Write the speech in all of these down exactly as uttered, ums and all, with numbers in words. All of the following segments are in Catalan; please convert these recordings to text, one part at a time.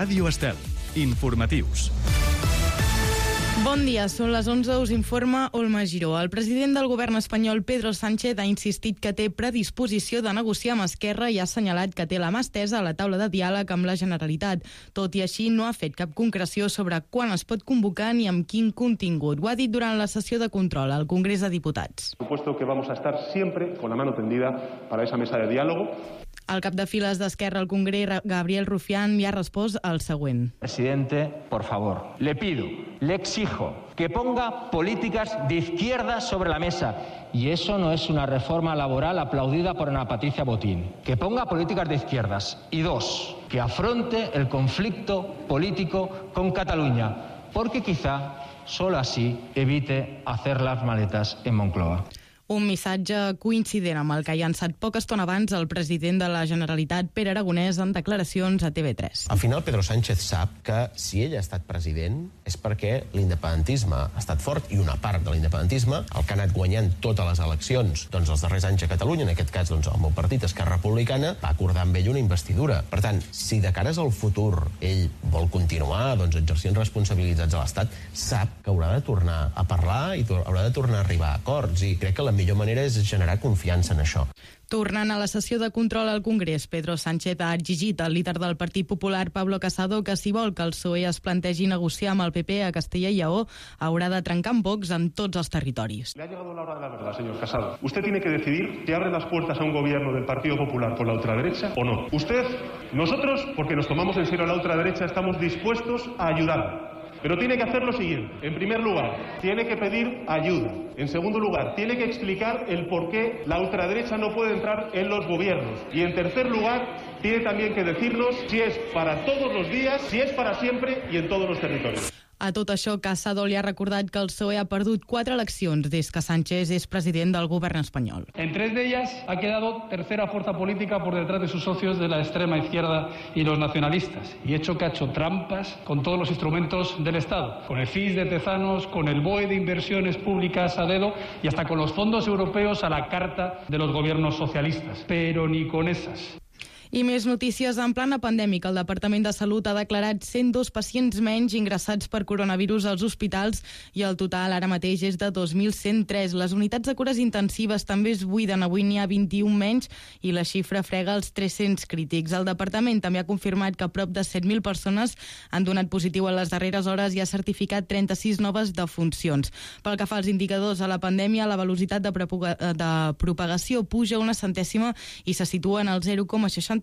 Ràdio Estel. Informatius. Bon dia, són les onze, us informa Olma Giró. El president del govern espanyol, Pedro Sánchez, ha insistit que té predisposició de negociar amb Esquerra i ha assenyalat que té la mà estesa a la taula de diàleg amb la Generalitat. Tot i així, no ha fet cap concreció sobre quan es pot convocar ni amb quin contingut. Ho ha dit durant la sessió de control al Congrés de Diputats. Supuesto que vamos a estar siempre con la mano tendida para esa mesa de diálogo. El cap de files d'Esquerra al Congrés, Gabriel Rufián, li ha respost el següent. Presidente, por favor, le pido, le exijo que ponga políticas de izquierda sobre la mesa. Y eso no es una reforma laboral aplaudida por Ana Patricia Botín. Que ponga políticas de izquierdas. Y dos, que afronte el conflicto político con Cataluña. Porque quizá solo así evite hacer las maletas en Moncloa. Un missatge coincident amb el que ha llançat poca estona abans el president de la Generalitat, Pere Aragonès, en declaracions a T V tres. Al final, Pedro Sánchez sap que si ell ha estat president és perquè l'independentisme ha estat fort i una part de l'independentisme, el que ha anat guanyant totes les eleccions doncs els darrers anys a Catalunya, en aquest cas doncs, el meu partit, Esquerra Republicana, va acordar amb ell una investidura. Per tant, si de cares al futur ell vol continuar doncs, exercint responsabilitats a l'Estat, sap que haurà de tornar a parlar i haurà de tornar a arribar a acords, i crec que la millor manera és generar confiança en això. Tornant a la sessió de control al Congrés, Pedro Sánchez ha exigit al líder del Partit Popular, Pablo Casado, que si vol que el P S O E es plantegi negociar amb el P P a Castella i Lleó, haurà de trencar amb Vox en tots els territoris. Le ha llegado la hora de la verdad, señor Casado. Usted tiene que decidir si abre las puertas a un gobierno del Partido Popular con la ultraderecha o no. Usted, nosotros, porque nos tomamos en serio a la ultraderecha, estamos dispuestos a ayudar. Pero tiene que hacer lo siguiente. En primer lugar, tiene que pedir ayuda. En segundo lugar, tiene que explicar el por qué la ultraderecha no puede entrar en los gobiernos. Y en tercer lugar, tiene también que decirnos si es para todos los días, si es para siempre y en todos los territorios. A tot això, Casado li ha recordat que el P S O E ha perdut quatre eleccions des que Sánchez és president del govern espanyol. En tres de ellas ha quedado tercera fuerza política por detrás de sus socios de la extrema izquierda y los nacionalistas. Y hecho que ha hecho trampas con todos los instrumentos del Estado. Con el F I S de Tezanos, con el B O E de inversiones públicas a dedo y hasta con los fondos europeos a la carta de los gobiernos socialistas. Pero ni con esas. I més notícies. En plana pandèmica, el Departament de Salut ha declarat cent dos pacients menys ingressats per coronavirus als hospitals i el total ara mateix és de dos mil cent tres. Les unitats de cures intensives també es buiden. Avui n'hi ha vint-i-un menys i la xifra frega els tres-cents crítics. El Departament també ha confirmat que prop de set mil persones han donat positiu en les darreres hores i ha certificat trenta-sis noves defuncions. Pel que fa als indicadors a la pandèmia, la velocitat de, de propagació puja una centèsima i se situa en el zero coma seixanta-quatre,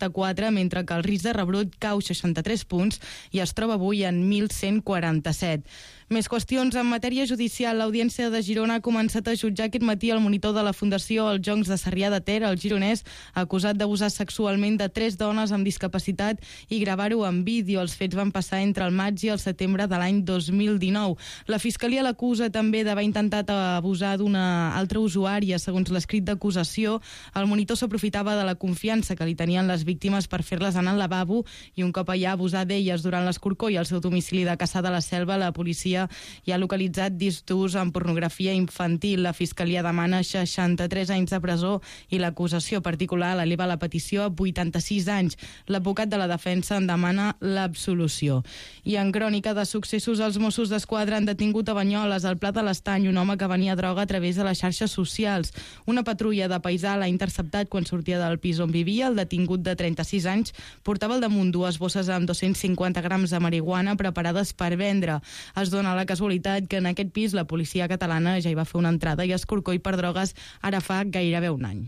mentre que el risc de rebrot cau seixanta-tres punts i es troba avui en mil cent quaranta-set. Més qüestions en matèria judicial. L'Audiència de Girona ha començat a jutjar aquest matí el monitor de la Fundació Els Joncs de Sarrià de Ter, el gironès, acusat d'abusar sexualment de tres dones amb discapacitat i gravar-ho en vídeo. Els fets van passar entre el maig i el setembre de l'any dos mil dinou. La Fiscalia l'acusa també d'haver intentat abusar d'una altra usuària. Segons l'escrit d'acusació, el monitor s'aprofitava de la confiança que li tenien les víctimes per fer-les anar al lavabo i un cop allà abusar d'elles. Durant l'escorcoll al seu domicili de Cassà de la Selva, la policia i ha localitzat discs amb pornografia infantil. La Fiscalia demana seixanta-tres anys de presó i l'acusació particular l'eleva la petició a vuitanta-sis anys. L'advocat de la defensa en demana l'absolució. I en crònica de successos, els Mossos d'Esquadra han detingut a Banyoles, al Pla de l'Estany, un home que venia droga a través de les xarxes socials. Una patrulla de paisà l'ha interceptat quan sortia del pis on vivia. El detingut de trenta-sis anys portava al damunt dues bosses amb dos-cents cinquanta grams de marihuana preparades per vendre. Es dona la casualitat que en aquest pis la policia catalana ja hi va fer una entrada i escorcoll per drogues ara fa gairebé un any.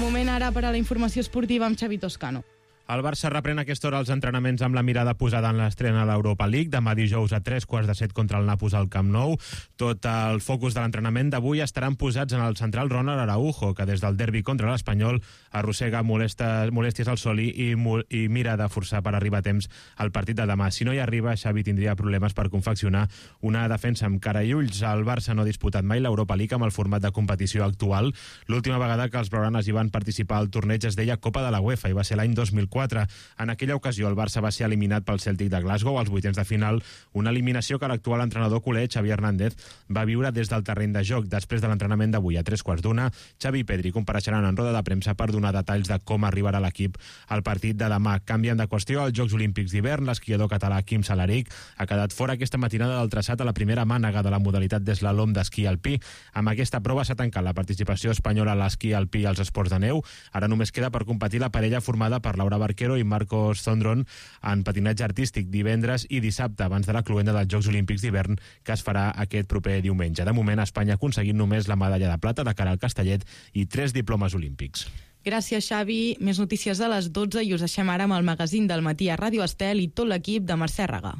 Moment ara per a la informació esportiva amb Xavi Toscano. El Barça reprèn a aquesta hora els entrenaments amb la mirada posada en l'estrena a l'Europa League. Demà dijous a tres quarts de set contra el Nàpols al Camp Nou. Tot el focus de l'entrenament d'avui estaran posats en el central Ronald Araujo, que des del derbi contra l'Espanyol arrossega molestes, molèsties al soli i, i mira de forçar per arribar a temps al partit de demà. Si no hi arriba, Xavi tindria problemes per confeccionar una defensa amb cara i ulls. El Barça no ha disputat mai l'Europa League amb el format de competició actual. L'última vegada que els blaugranes hi van participar al torneig es deia Copa de la UEFA i va ser l'any dos mil quatre. quatre. En aquella ocasió el Barça va ser eliminat pel Celtic de Glasgow als vuitens de final, una eliminació que l'actual entrenador culer, Xavi Hernández, va viure des del terreny de joc. Després de l'entrenament d'avui a tres quarts d'una, Xavi i Pedri compareixeran en roda de premsa per donar detalls de com arribarà l'equip al partit de demà. Canvien de qüestió als Jocs Olímpics d'hivern. L'esquiador català Quim Salaric ha quedat fora aquesta matinada del traçat a la primera mànega de la modalitat d'eslalom d'esquí alpí. Amb aquesta prova s'ha tancat la participació espanyola a l'esquí alpí i als esports de neu. Ara només queda per competir la parella formada per Laura Barquero i Marcos Zondron en patinatge artístic divendres i dissabte, abans de la cloenda dels Jocs Olímpics d'hivern que es farà aquest proper diumenge. De moment, Espanya ha aconseguit només la medalla de plata de cara al Castellet i tres diplomes olímpics. Gràcies, Xavi. Més notícies a les dotze i us deixem ara amb el magazín del matí a Ràdio Estel i tot l'equip de Mercè Raga.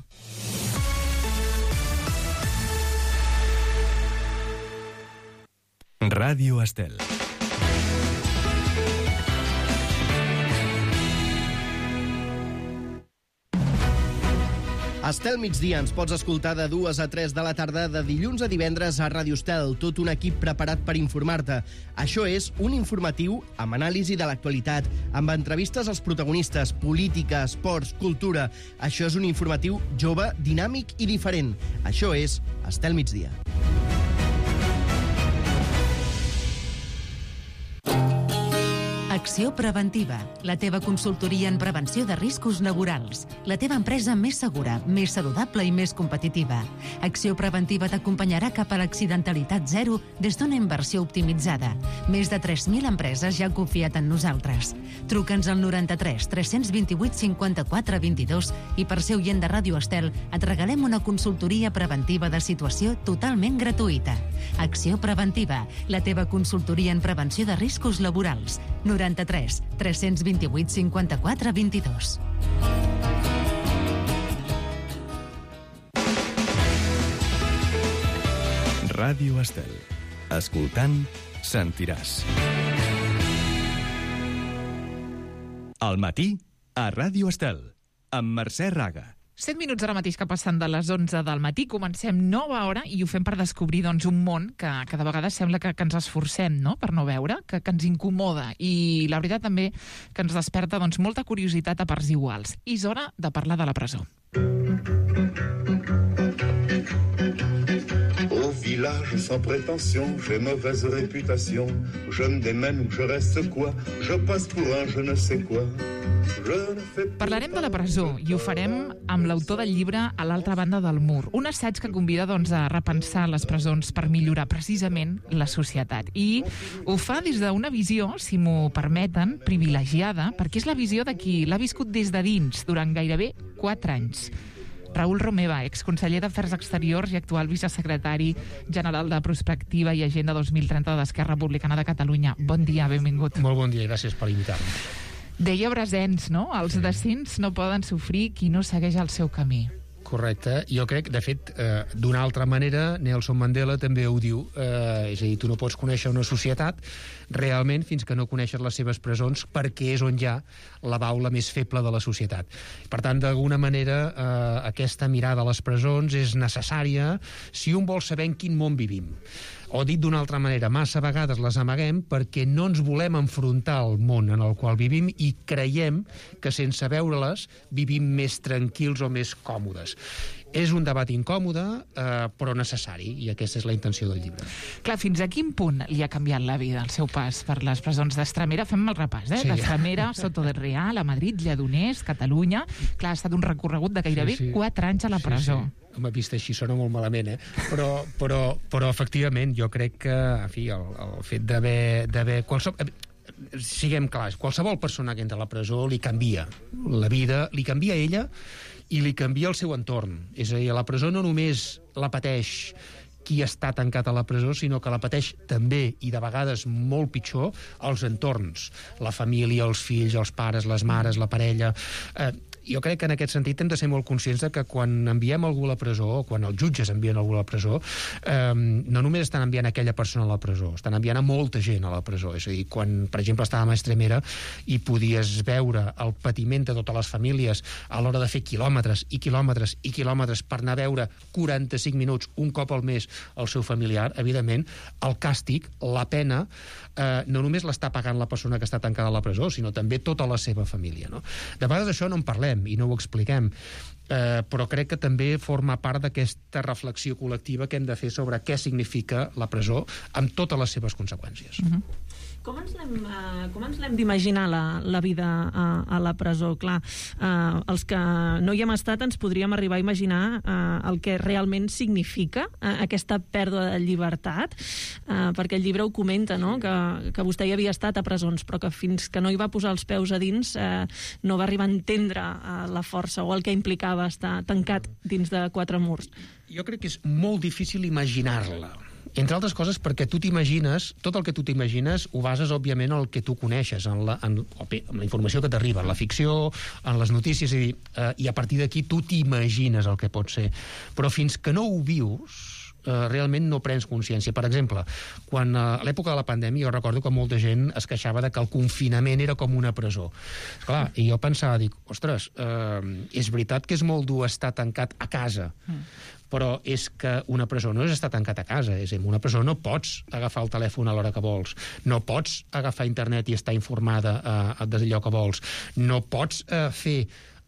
Ràdio Estel. Estel migdia ens pots escoltar de dues a tres de la tarda de dilluns a divendres a Ràdio Estel, tot un equip preparat per informar-te. Això és un informatiu amb anàlisi de l'actualitat, amb entrevistes als protagonistes, política, esports, cultura. Això és un informatiu jove, dinàmic i diferent. Això és Estel migdia. Acció Preventiva, la teva consultoria en prevenció de riscos laborals. La teva empresa més segura, més saludable i més competitiva. Acció Preventiva t'acompanyarà cap a l'accidentalitat zero des d'una inversió optimitzada. Més de tres mil empreses ja han confiat en nosaltres. Truca'ns al noranta-tres tres cents vint-i-vuit cinquanta-quatre vint-i-dos i per ser oient de Ràdio Estel et regalem una consultoria preventiva de situació totalment gratuïta. Acció Preventiva, la teva consultoria en prevenció de riscos laborals. noranta-tres tres cents vint-i-vuit cinquanta-quatre vint-i-dos. Ràdio Estel. Escoltant, sentiràs. Al matí, a Ràdio Estel, amb Mercè Raga. set minuts ara mateix que passen de les onze del matí. Comencem nova hora i ho fem per descobrir doncs, un món que cada vegada sembla que, que ens esforcem, no?, per no veure, que, que ens incomoda. I la veritat també que ens desperta doncs, molta curiositat a parts iguals. I és hora de parlar de la presó. Au village sans prétention, j'ai mauvaise réputation. Je me démène ou je reste quoi? Je passe pour un je ne sais quoi. Parlarem de la presó i ho farem amb l'autor del llibre A l'altra banda del mur, un assaig que convida doncs, a repensar les presons per millorar precisament la societat. I ho fa des d'una visió, si m'ho permeten, privilegiada, perquè és la visió de qui l'ha viscut des de dins durant gairebé quatre anys. Raül Romeva, exconseller d'Afers Exteriors i actual vicesecretari general de Prospectiva i Agenda dos mil trenta d'Esquerra Republicana de Catalunya. Bon dia, benvingut. Molt bon dia i gràcies per invitar-me. Deia Brasens, no? Els decents no poden sofrir qui no segueix el seu camí. Correcte. Jo crec, de fet, eh, d'una altra manera, Nelson Mandela també ho diu. Eh, és a dir, tu no pots conèixer una societat realment fins que no coneixes les seves presons, perquè és on hi ha la baula més feble de la societat. Per tant, d'alguna manera, eh, aquesta mirada a les presons és necessària si un vol saber en quin món vivim. O dit d'una altra manera, massa vegades les amaguem perquè no ens volem enfrontar al món en el qual vivim i creiem que sense veure-les vivim més tranquils o més còmodes. És un debat incòmode, eh, però necessari, i aquesta és la intenció del llibre. Clar, fins a quin punt li ha canviat la vida el seu pas per les presons d'Estremera? Fem el repàs, eh? Sí. D'Estremera, Soto del Real, a Madrid, Lledoners, Catalunya... Clar, ha estat un recorregut de gairebé sí, sí. quatre anys a la presó. Sí, sí. M'ha vist així, sona molt malament, eh? Però, però, però efectivament, jo crec que, en fi, el, el fet d'haver... d'haver qualsevol... Siguem clars, qualsevol persona que entra a la presó li canvia la vida, li canvia a ella i li canvia el seu entorn. És a dir, a la presó no només la pateix qui està tancat a la presó, sinó que la pateix també, i de vegades molt pitjor, els entorns. La família, els fills, els pares, les mares, la parella... Eh, jo crec que en aquest sentit hem de ser molt conscients de que quan enviem algú a la presó, o quan els jutges envien algú a la presó, eh, no només estan enviant aquella persona a la presó, estan enviant a molta gent a la presó. És a dir, quan, per exemple, estàvem a Estremera i podies veure el patiment de totes les famílies a l'hora de fer quilòmetres i quilòmetres i quilòmetres per anar a veure quaranta-cinc minuts un cop al mes el seu familiar, evidentment, el càstig, la pena, eh, no només l'està pagant la persona que està tancada a la presó, sinó també tota la seva família. No? De vegades això no en parlem i no ho expliquem, eh, però crec que també forma part d'aquesta reflexió col·lectiva que hem de fer sobre què significa la presó amb totes les seves conseqüències. Mm-hmm. Com ens l'hem uh, com ens l'hem d'imaginar la, la vida a, a la presó? Clar, uh, els que no hi hem estat ens podríem arribar a imaginar uh, el que realment significa uh, aquesta pèrdua de llibertat, uh, perquè el llibre ho comenta, no? que, que vostè hi havia estat a presons, però que fins que no hi va posar els peus a dins uh, no va arribar a entendre uh, la força o el que implicava estar tancat dins de quatre murs. Jo crec que és molt difícil imaginar-la. Entre altres coses perquè tu t'imagines, tot el que tu t'imagines ho bases, òbviament, en el que tu coneixes, en la, en, en la informació que t'arriba, en la ficció, en les notícies, i, eh, i a partir d'aquí tu t'imagines el que pot ser. Però fins que no ho vius, eh, realment no prens consciència. Per exemple, quan a l'època de la pandèmia jo recordo que molta gent es queixava de que el confinament era com una presó. Esclar, i jo pensava, dic, ostres, eh, és veritat que és molt dur estar tancat a casa, mm. però és que una presó no és estar tancat a casa, és a dir, una presó no pots agafar el telèfon a l'hora que vols, no pots agafar internet i estar informada eh, d'allò que vols, no pots eh, fer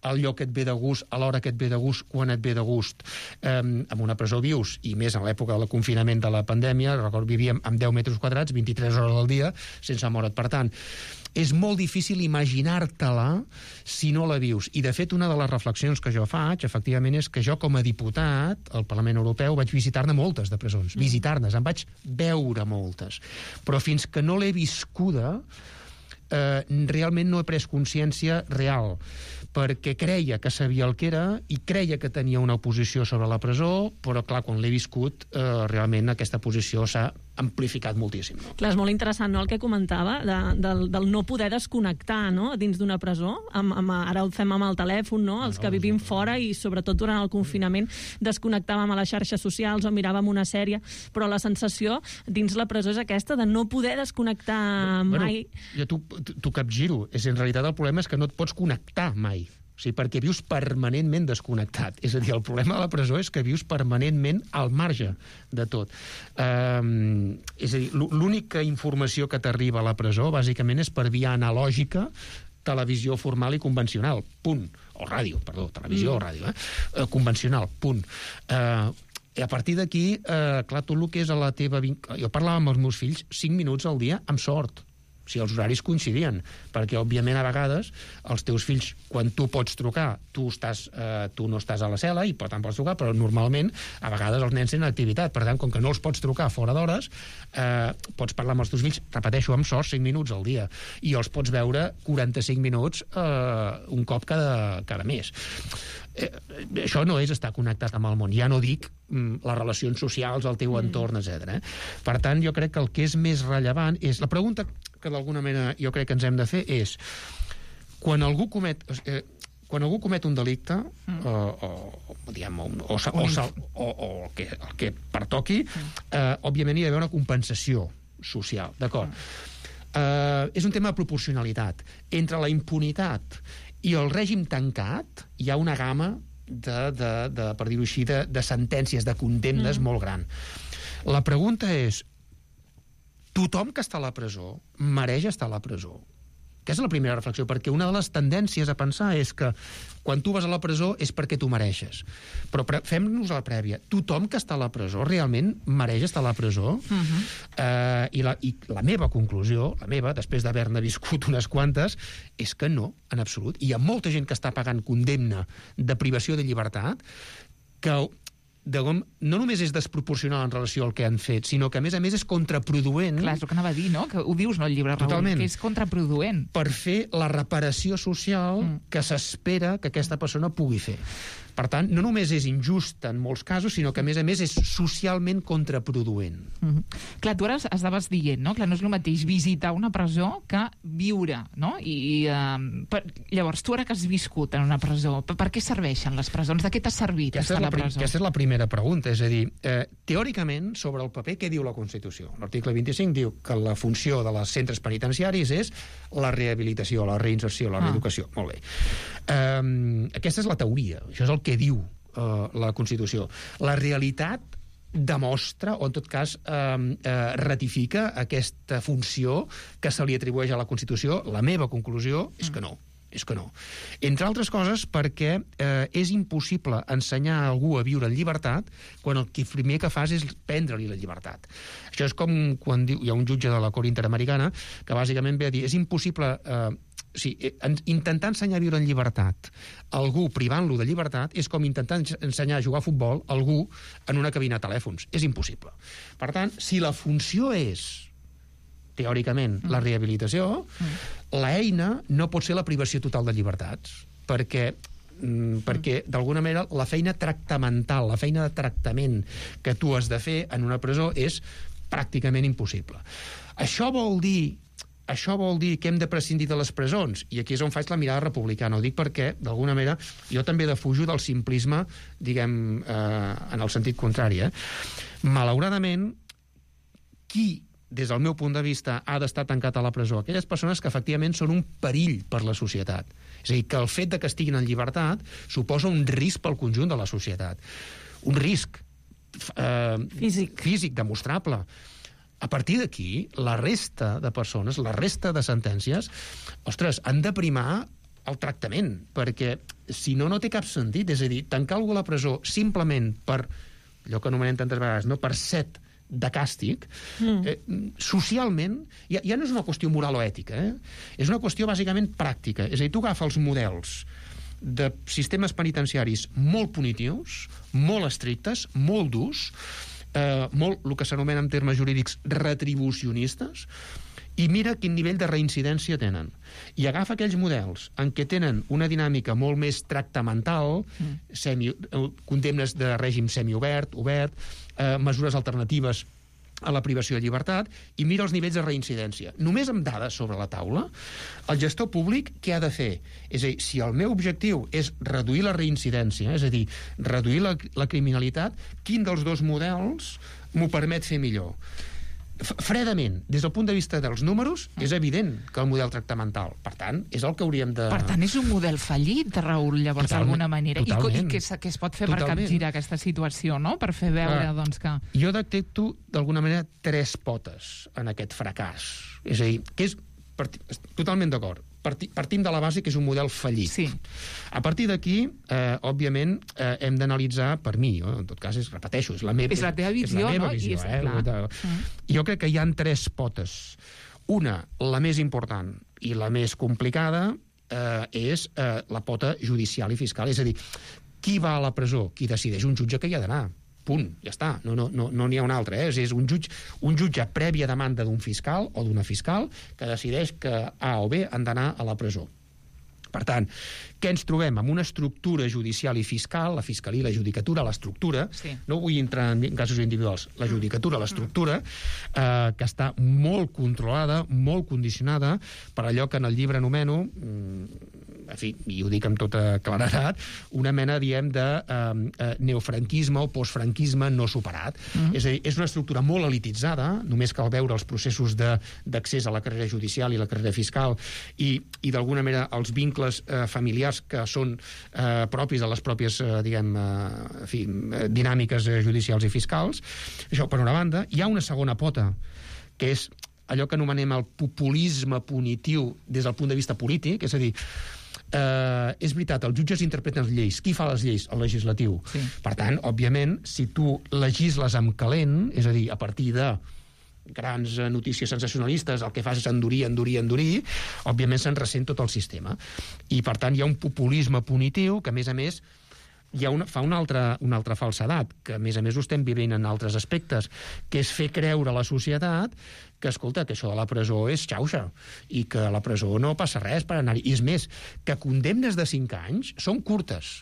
allò que et ve de gust, a l'hora que et ve de gust, quan et ve de gust. Eh, en una presó vius, i més en l'època del confinament de la pandèmia, recordo, vivíem amb deu metres quadrats, vint-i-tres hores al dia, sense moure't. Per tant, és molt difícil imaginar-te-la si no la vius. I, de fet, una de les reflexions que jo faig, efectivament, és que jo, com a diputat al Parlament Europeu, vaig visitar-ne moltes de presons. Mm. Visitar-ne, en vaig veure moltes. Però fins que no l'he viscuda, eh, realment no he pres consciència real, perquè creia que sabia el que era i creia que tenia una posició sobre la presó, però, clar, quan l'he viscut, eh, realment aquesta posició s'ha amplificat moltíssim. No? Clar, és molt interessant, no?, el que comentava, de, del, del no poder desconnectar, no?, dins d'una presó. Amb, amb, ara ho fem amb el telèfon, no?, els que vivim fora i, sobretot, durant el confinament, desconnectàvem a les xarxes socials o miràvem una sèrie, però la sensació dins la presó és aquesta, de no poder desconnectar mai. Bueno, jo t'ho capgiro. És, en realitat, el problema és que no et pots connectar mai. O sigui, perquè vius permanentment desconnectat. És a dir, el problema de la presó és que vius permanentment al marge de tot. Um, és a dir, l'única informació que t'arriba a la presó, bàsicament, és per via analògica, televisió formal i convencional, punt. O ràdio, perdó, televisió mm. o ràdio, eh? Uh, convencional, punt. Uh, I a partir d'aquí, uh, clar, tot el que és a la teva... Jo parlava amb els meus fills cinc minuts al dia, amb sort, si els horaris coincidien, perquè, òbviament, a vegades, els teus fills, quan tu pots trucar, tu, estàs, eh, tu no estàs a la cel·la i, per tant, pots trucar, però normalment, a vegades, els nens tenen activitat. Per tant, com que no els pots trucar fora d'hores, eh, pots parlar amb els teus fills, repeteixo, amb sort, cinc minuts al dia, i els pots veure quaranta-cinc minuts eh, un cop cada, cada mes. Eh, això no és estar connectat amb el món. Ja no dic mm, les relacions socials, el teu mm. entorn, etcètera. Eh? Per tant, jo crec que el que és més rellevant és... La pregunta que d'alguna manera jo crec que ens hem de fer és quan algú comet... Eh, quan algú comet un delicte mm. o, o, diguem, o, o, o, o, o el, que, el que pertoqui, mm. eh, òbviament hi ha d'haver una compensació social, d'acord? Mm. Eh, és un tema de proporcionalitat. Entre la impunitat i el règim tancat hi ha una gamma de, de, de per dir-ho així, de, de sentències, de condemnes mm. molt gran. La pregunta és, tothom que està a la presó mereix estar a la presó? Aquesta és la primera reflexió, perquè una de les tendències a pensar és que quan tu vas a la presó és perquè tu mereixes. Però fem-nos a la prèvia. Tothom que està a la presó realment mereix estar a la presó? Uh-huh. eh, i, la, I la meva conclusió, la meva, després d'haver-ne viscut unes quantes, és que no, en absolut. I hi ha molta gent que està pagant condemna de privació de llibertat que... De com, no només és desproporcional en relació al que han fet, sinó que, a més a més, és contraproduent. Clar, és el que anava a dir, no? Que ho dius, no, el llibre, Raül, que és contraproduent. Per fer la reparació social mm. que s'espera que aquesta persona pugui fer. Per tant, no només és injust en molts casos, sinó que, a més a més, és socialment contraproduent. Mm-hmm. Clar, tu ara estaves dient, no? Clar, no és el mateix visitar una presó que viure, no? I, uh, per... Llavors, tu ara que has viscut en una presó, per, per què serveixen les presons? De què t'ha servit estar a la presó? Aquesta és la primera pregunta, és a dir, eh, teòricament, sobre el paper, què diu la Constitució? L'article vint-i-cinc diu que la funció de les centres penitenciaris és la rehabilitació, la reinserció, la reeducació. Ah. Molt bé. Eh, aquesta és la teoria, això és el que diu eh, la Constitució. La realitat demostra, o en tot cas eh, eh, ratifica aquesta funció que se li atribueix a la Constitució. La meva conclusió és que no. És que no. Entre altres coses perquè eh, és impossible ensenyar a algú a viure en llibertat quan el que primer que fas és prendre-li la llibertat. Això és com quan diu, hi ha un jutge de la Cort Interamericana que bàsicament ve a dir és impossible eh, sí, intentar ensenyar a viure en llibertat algú privant-lo de llibertat és com intentar ensenyar a jugar a futbol a algú en una cabina de telèfons. És impossible. Per tant, si la funció és teòricament, mm. la rehabilitació, mm. l'eina no pot ser la privació total de llibertats, perquè, mm, perquè d'alguna manera, la feina tractamental, la feina de tractament que tu has de fer en una presó és pràcticament impossible. Això vol dir Això vol dir que hem de prescindir de les presons, i aquí és on faig la mirada republicana. Ho dic perquè, d'alguna manera, jo també defujo del simplisme, diguem, eh, en el sentit contrari. Eh? Malauradament, qui des del meu punt de vista, ha d'estar tancat a la presó? Aquelles persones que efectivament són un perill per la societat. És a dir, que el fet de que estiguin en llibertat suposa un risc pel conjunt de la societat. Un risc eh, físic. físic demostrable. A partir d'aquí, la resta de persones, la resta de sentències, ostres, han de primar el tractament, perquè si no, no té cap sentit. És a dir, tancar algú a la presó simplement per, allò que anomenem tantes vegades, no per set de càstig, mm. eh, socialment, ja, ja no és una qüestió moral o ètica, eh? És una qüestió bàsicament pràctica. És a dir, tu agafes els models de sistemes penitenciaris molt punitius, molt estrictes, molt durs, eh, molt, el que s'anomena en termes jurídics, retribucionistes, i mira quin nivell de reincidència tenen. I agafa aquells models en què tenen una dinàmica molt més tractamental, mm. semi, condemnes de règim semiobert, obert, eh, mesures alternatives a la privació de llibertat, i mira els nivells de reincidència. Només amb dades sobre la taula, el gestor públic què ha de fer? És a dir, si el meu objectiu és reduir la reincidència, és a dir, reduir la, la criminalitat, quin dels dos models m'ho permet fer millor? Fredament, des del punt de vista dels números, és evident que el model tractamental. Per tant, és el que hauríem de... Per tant, és un model fallit, Raül, llavors, d'alguna manera. Totalment. I, i què, què es pot fer totalment. Per capgirar aquesta situació, no? Per fer veure, ah, doncs, que... Jo detecto, d'alguna manera, tres potes en aquest fracàs. És a dir, que és... Parti... Totalment d'acord. Parti... Partim de la base que és un model fallit. Sí. A partir d'aquí, eh, òbviament, eh, hem d'analitzar, per mi, eh, en tot cas, és, repeteixo, és la meva, és la teva visió, és la meva no? visió, I és, eh? clar. Jo crec que hi ha tres potes. Una, la més important i la més complicada, eh, és eh, la pota judicial i fiscal. És a dir, qui va a la presó? Qui decideix? Un jutge que hi ha d'anar. Punt, ja està, no n'hi no, no, no ha un altre. Eh? És un jutge, un jutge prèvia demanda d'un fiscal o d'una fiscal que decideix que A o B han d'anar a la presó. Per tant, què ens trobem? Amb una estructura judicial i fiscal, la fiscalia, la judicatura, l'estructura, sí. No vull entrar en casos individuals, la judicatura, l'estructura, eh, que està molt controlada, molt condicionada per allò que en el llibre anomeno, en fi, i ho dic amb tota claredat, una mena, diem, de eh, neofranquisme o postfranquisme no superat. Mm. És a dir, és una estructura molt elititzada, només cal veure els processos d'accés a la carrera judicial i la carrera fiscal i, i d'alguna manera, els vincles eh, familiars que són eh, propis de les pròpies, eh, diguem, eh, en fi, dinàmiques eh, judicials i fiscals. Això, per una banda. Hi ha una segona pota, que és allò que anomenem el populisme punitiu des del punt de vista polític, és a dir, eh, és veritat, els jutges interpreten les lleis. Qui fa les lleis? El legislatiu. Sí. Per tant, òbviament, si tu legisles amb calent, és a dir, a partir de grans notícies sensacionalistes, el que fas és endurir, endurir, endurir, òbviament se'n ressent tot el sistema. I, per tant, hi ha un populisme punitiu que, a més a més, hi ha una, fa una altra, una altra falsedat, que a més a més ho estem vivint en altres aspectes, que és fer creure a la societat que, escolta, que això de la presó és xauxa, i que a la presó no passa res per anar-hi. I és més, que condemnes de cinc anys són curtes,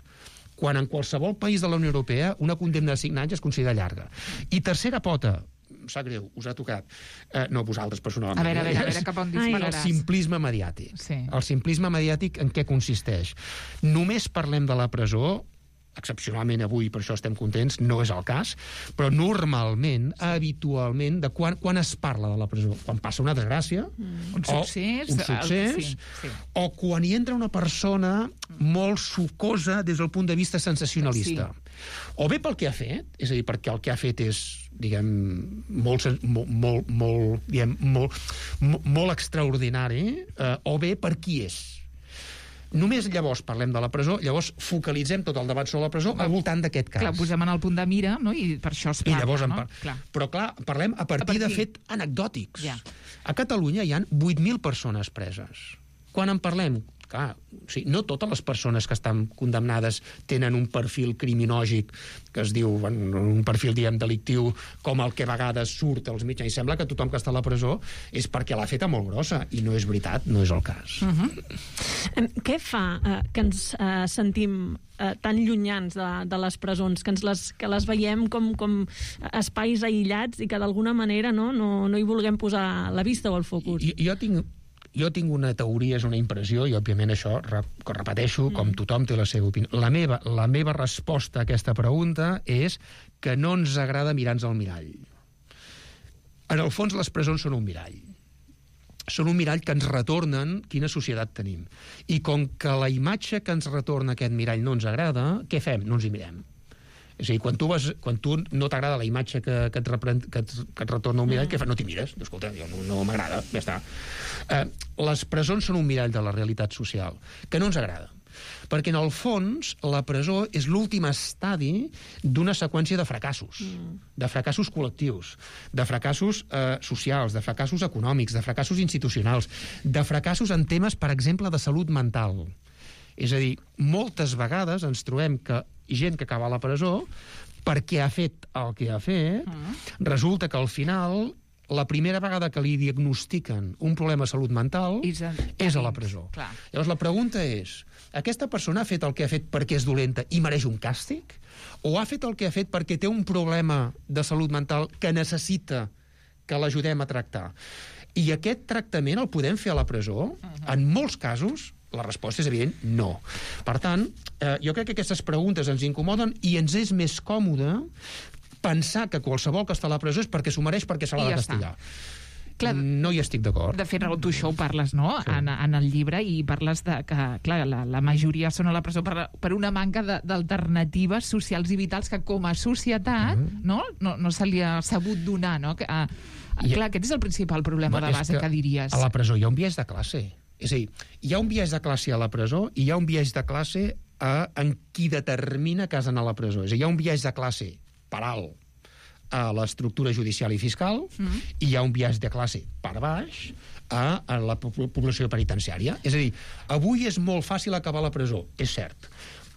quan en qualsevol país de la Unió Europea una condemna de cinc anys es considera llarga. I tercera pota, em sap greu, us ha tocat, eh, no vosaltres personalment. A veure, a veure, a veure cap on dispararàs. El simplisme mediàtic. Sí. El simplisme mediàtic en què consisteix? Només parlem de la presó, excepcionalment avui, per això estem contents, no és el cas, però normalment, habitualment, de quan, quan es parla de la presó? Quan passa una desgràcia, mm. un succés, un succés el... sí, sí. o quan hi entra una persona molt sucosa des del punt de vista sensacionalista. Sí. O bé pel que ha fet, és a dir, perquè el que ha fet és, diguem, molt, molt, molt, molt, diguem, molt, molt, molt extraordinari, eh, o bé per qui és. Només llavors parlem de la presó, llavors focalitzem tot el debat sobre la presó al voltant d'aquest cas. Clar, posem en el punt de mira, no? I per això es parla, I llavors no? Par... Clar. Però clar, parlem a partir, a partir de fet anecdòtics. Ja. A Catalunya hi ha vuit mil persones preses. Quan en parlem? Clar, o sigui, no totes les persones que estan condemnades tenen un perfil criminògic que es diu, bueno, un perfil, diguem, delictiu, com el que a vegades surt als mitjans. I sembla que tothom que està a la presó és perquè l'ha feta molt grossa, i no és veritat, no és el cas. Uh-huh. Què fa eh, que ens eh, sentim eh, tan llunyans de, de les presons, que, ens les, que les veiem com, com espais aïllats i que d'alguna manera no, no, no hi vulguem posar la vista o el focus? I, jo tinc... Jo tinc una teoria, és una impressió, i òbviament això, que repeteixo, com tothom té la seva opinió. La meva, la meva resposta a aquesta pregunta és que no ens agrada mirar-nos al mirall. En el fons, les presons són un mirall. Són un mirall que ens retornen quina societat tenim. I com que la imatge que ens retorna aquest mirall no ens agrada, què fem? No ens hi mirem. És a dir, quan tu, vas, quan tu no t'agrada la imatge que, que, et repren, que, et, que et retorna un mirall, mm. què fas? No t'hi mires. Escolta, jo no, no m'agrada, ja està. Eh, les presons són un mirall de la realitat social, que no ens agrada. Perquè, en el fons, la presó és l'últim estadi d'una seqüència de fracassos. Mm. De fracassos col·lectius, de fracassos eh, socials, de fracassos econòmics, de fracassos institucionals, de fracassos en temes, per exemple, de salut mental. És a dir, moltes vegades ens trobem que gent que acaba a la presó, perquè ha fet el que ha fet, mm. resulta que al final, la primera vegada que li diagnostiquen un problema de salut mental és a, és a la presó. Clar. Llavors la pregunta és, aquesta persona ha fet el que ha fet perquè és dolenta i mereix un càstig? O ha fet el que ha fet perquè té un problema de salut mental que necessita que l'ajudem a tractar? I aquest tractament el podem fer a la presó? Uh-huh. En molts casos, la resposta és evident, no. Per tant, eh, jo crec que aquestes preguntes ens incomoden i ens és més còmode pensar que qualsevol que està a la presó és perquè s'ho mereix, perquè se l'ha de castigar. Clar, no hi estic d'acord. De fet, Raül, tu això ho parles, no?, sí. en, en el llibre, i parles de que, clar, la, la majoria són a la presó per, per una manca d'alternatives socials i vitals que com a societat mm. no, no, no se li ha sabut donar, no? Que, a, a, clar, aquest és el principal problema de base, que, que diries. A la presó hi ha un biaix de classe. És a dir, hi ha un biaix de classe a la presó i hi ha un biaix de classe a, en qui determina que has d'anar a la presó. És a dir, hi ha un biaix de classe per alt a l'estructura judicial i fiscal mm. i hi ha un biaix de classe per baix a, a la població penitenciària. És a dir, avui és molt fàcil acabar a la presó, és cert,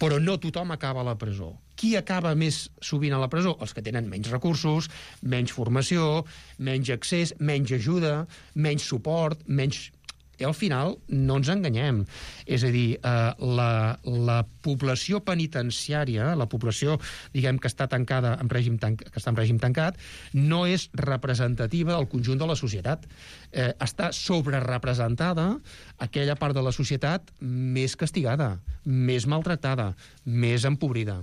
però no tothom acaba a la presó. Qui acaba més sovint a la presó? Els que tenen menys recursos, menys formació, menys accés, menys ajuda, menys suport, menys... I al final no ens enganyem. És a dir, eh, la, la població penitenciària, la població, diguem, que està tancada en règim tan, que està en règim tancat, no és representativa del conjunt de la societat. Eh, està sobrerepresentada aquella part de la societat més castigada, més maltractada, més empobrida.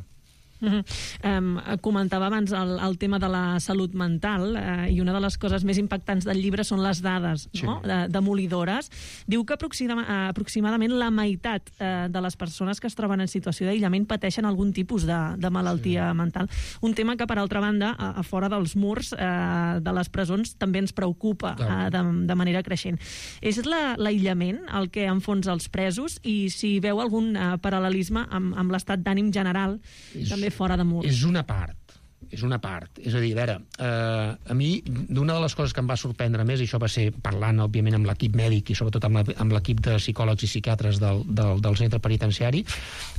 Uh-huh. Um, comentava abans el, el tema de la salut mental uh, i una de les coses més impactants del llibre són les dades, sí. no? de, demolidores. Diu que aproxima, uh, aproximadament la meitat uh, de les persones que es troben en situació d'aïllament pateixen algun tipus de, de malaltia sí. mental. Un tema que, per altra banda, a, a fora dels murs uh, de les presons també ens preocupa uh, de, de manera creixent. És l'aïllament el que enfonsa els presos, i si veu algun uh, paral·lelisme amb, amb l'estat d'ànim general és... també fora de murs. És una part, és una part. És a dir, a veure, eh, a mi, d'una de les coses que em va sorprendre més, i això va ser parlant, òbviament, amb l'equip mèdic i sobretot amb l'equip de psicòlegs i psiquiatres del, del, del centre penitenciari,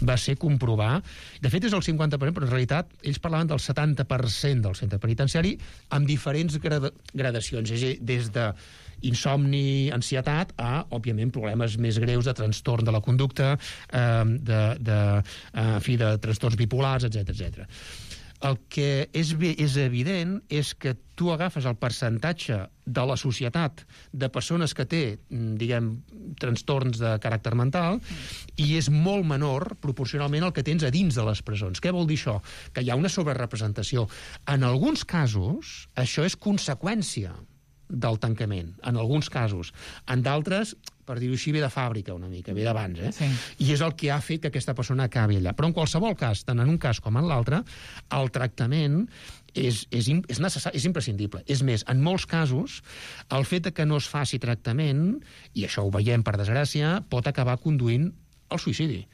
va ser comprovar, de fet és el cinquanta per cent, però en realitat ells parlaven del setanta per cent del centre penitenciari amb diferents grada, gradacions, és a dir, des de insomni, ansietat, a, òbviament, problemes més greus de trastorn de la conducta, eh, de, de, eh, en fi, de trastorns bipolars, etcètera, etcètera. El que és, és evident és que tu agafes el percentatge de la societat de persones que té, diguem, trastorns de caràcter mental i és molt menor proporcionalment el que tens a dins de les presons. Què vol dir això? Que hi ha una sobrerepresentació. En alguns casos, això és conseqüència del tancament, en alguns casos. En d'altres, per dir-ho així, ve de fàbrica una mica, ve d'abans, eh? Sí. I és el que ha fet que aquesta persona acabi allà. Però en qualsevol cas, tant en un cas com en l'altre, el tractament és, és, és, necessari, és imprescindible. És més, en molts casos, el fet que no es faci tractament, i això ho veiem per desgràcia, pot acabar conduint al suïcidi.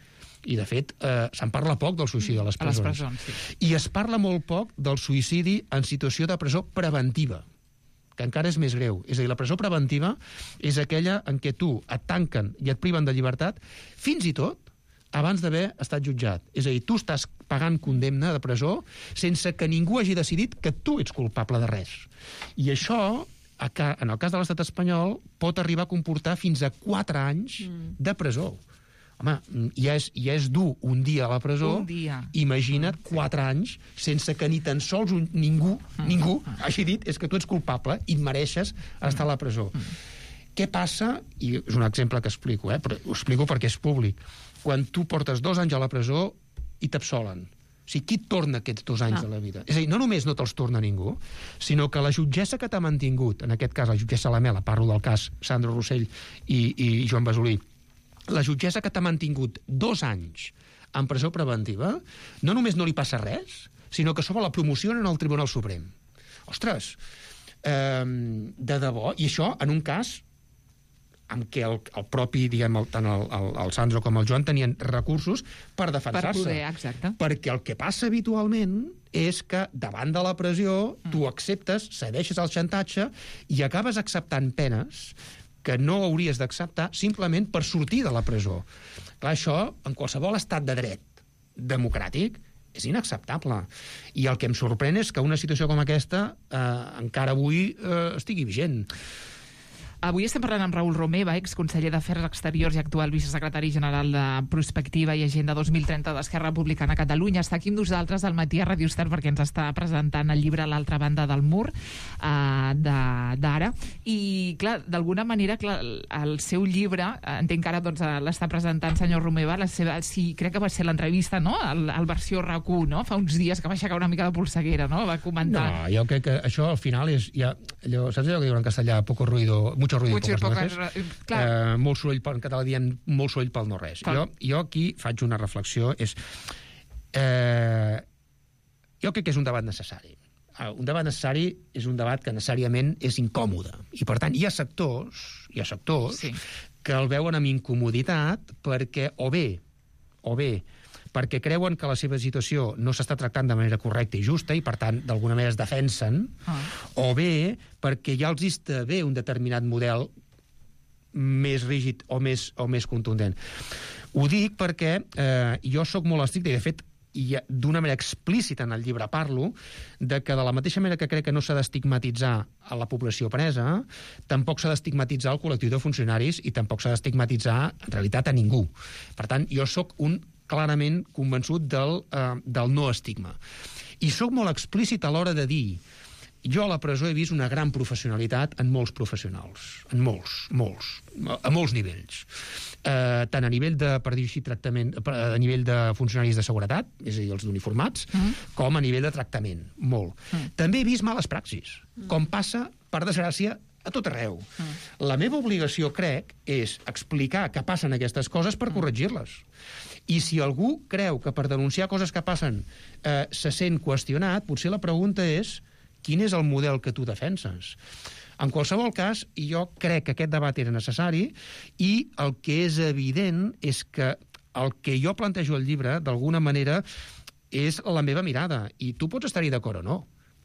I, de fet, eh, se'n parla poc del suïcidi a les presons. A les presons, sí. I es parla molt poc del suïcidi en situació de presó preventiva, que encara és més greu. És a dir, la presó preventiva és aquella en què tu et tanquen i et priven de llibertat fins i tot abans d'haver estat jutjat. És a dir, tu estàs pagant condemna de presó sense que ningú hagi decidit que tu ets culpable de res. I això, en el cas de l'estat espanyol, pot arribar a comportar fins a quatre anys de presó. Home, ja és, ja és dur un dia a la presó, un dia. Imagina't quatre anys sense que ni tan sols un, ningú, ningú hagi dit és que tu ets culpable i et mereixes estar a la presó. Què passa? I és un exemple que explico, eh? Però ho explico perquè és públic. Quan tu portes dos anys a la presó i t'absolen. O sigui, qui et torna aquests dos anys ah. de la vida? És a dir, no només no te'ls torna ningú, sinó que la jutgessa que t'ha mantingut, en aquest cas la jutgessa Lamela, parlo del cas Sandro Rossell i, i Joan Basolí, la jutgessa que t'ha mantingut dos anys en presó preventiva, no només no li passa res, sinó que sobre la promocionen al Tribunal Suprem. Ostres, eh, de debò, i això en un cas en què el, el propi, diguem, el, tant el, el, el Sandro com el Joan tenien recursos per defensar-se. Per poder, exacte. Perquè el que passa habitualment és que davant de la pressió mm. tu acceptes, cedeixes al xantatge i acabes acceptant penes que no hauries d'acceptar simplement per sortir de la presó. Clar, això, en qualsevol estat de dret democràtic, és inacceptable. I el que em sorprèn és que una situació com aquesta eh, encara avui eh, estigui vigent. Avui estem parlant amb Raül Romeva, exconseller d'Afers Exteriors i actual vicesecretari general de Prospectiva i Agenda dos mil trenta d'Esquerra Republicana a Catalunya. Està aquí amb nosaltres al matí a Radio Estel perquè ens està presentant el llibre A l'altra banda del mur eh, d'ara. I, clar, d'alguna manera, clar, el seu llibre, entenc que ara doncs, l'està presentant senyor Romeva, la seva, sí, crec que va ser l'entrevista, no?, al, al versió RAC u, no?, fa uns dies que va aixecar una mica de polseguera, no?, va comentar... No, jo crec que això al final és... Ja, allò, saps allò que diuen en castellà? Poco ruido... Mucho ruido Mucho i poques no res. Eh, molt soroll, en català diem molt soroll pel no res. Jo, jo aquí faig una reflexió, és... Eh, jo crec que és un debat necessari. Un debat necessari és un debat que necessàriament és incòmode. I, per tant, hi ha sectors, hi ha sectors sí. que el veuen amb incomoditat perquè, o bé, o bé, perquè creuen que la seva situació no s'està tractant de manera correcta i justa i, per tant, d'alguna manera es defensen, ah. o bé perquè ja els està bé un determinat model més rígid o més, o més contundent. Ho dic perquè eh, jo sóc molt estricte i, de fet, i d'una manera explícita en el llibre parlo de que de la mateixa manera que crec que no s'ha d'estigmatitzar a la població presa, tampoc s'ha d'estigmatitzar el col·lectiu de funcionaris i tampoc s'ha d'estigmatitzar, en realitat, a ningú. Per tant, jo sóc un clarament convençut del, eh, del no estigma. I sóc molt explícit a l'hora de dir jo a la presó he vist una gran professionalitat en molts professionals, en molts, molts, a molts nivells. Eh, tant a nivell de, per dir així, tractament, a nivell de funcionaris de seguretat, és a dir, els uniformats, mm. com a nivell de tractament, molt. Mm. També he vist males praxis, mm. com passa, per desgràcia, a tot arreu. Mm. La meva obligació, crec, és explicar que passen aquestes coses per corregir-les. I si algú creu que per denunciar coses que passen eh, se sent qüestionat, potser la pregunta és quin és el model que tu defenses? En qualsevol cas, jo crec que aquest debat era necessari i el que és evident és que el que jo plantejo al llibre, d'alguna manera, és la meva mirada. I tu pots estar-hi d'acord o no,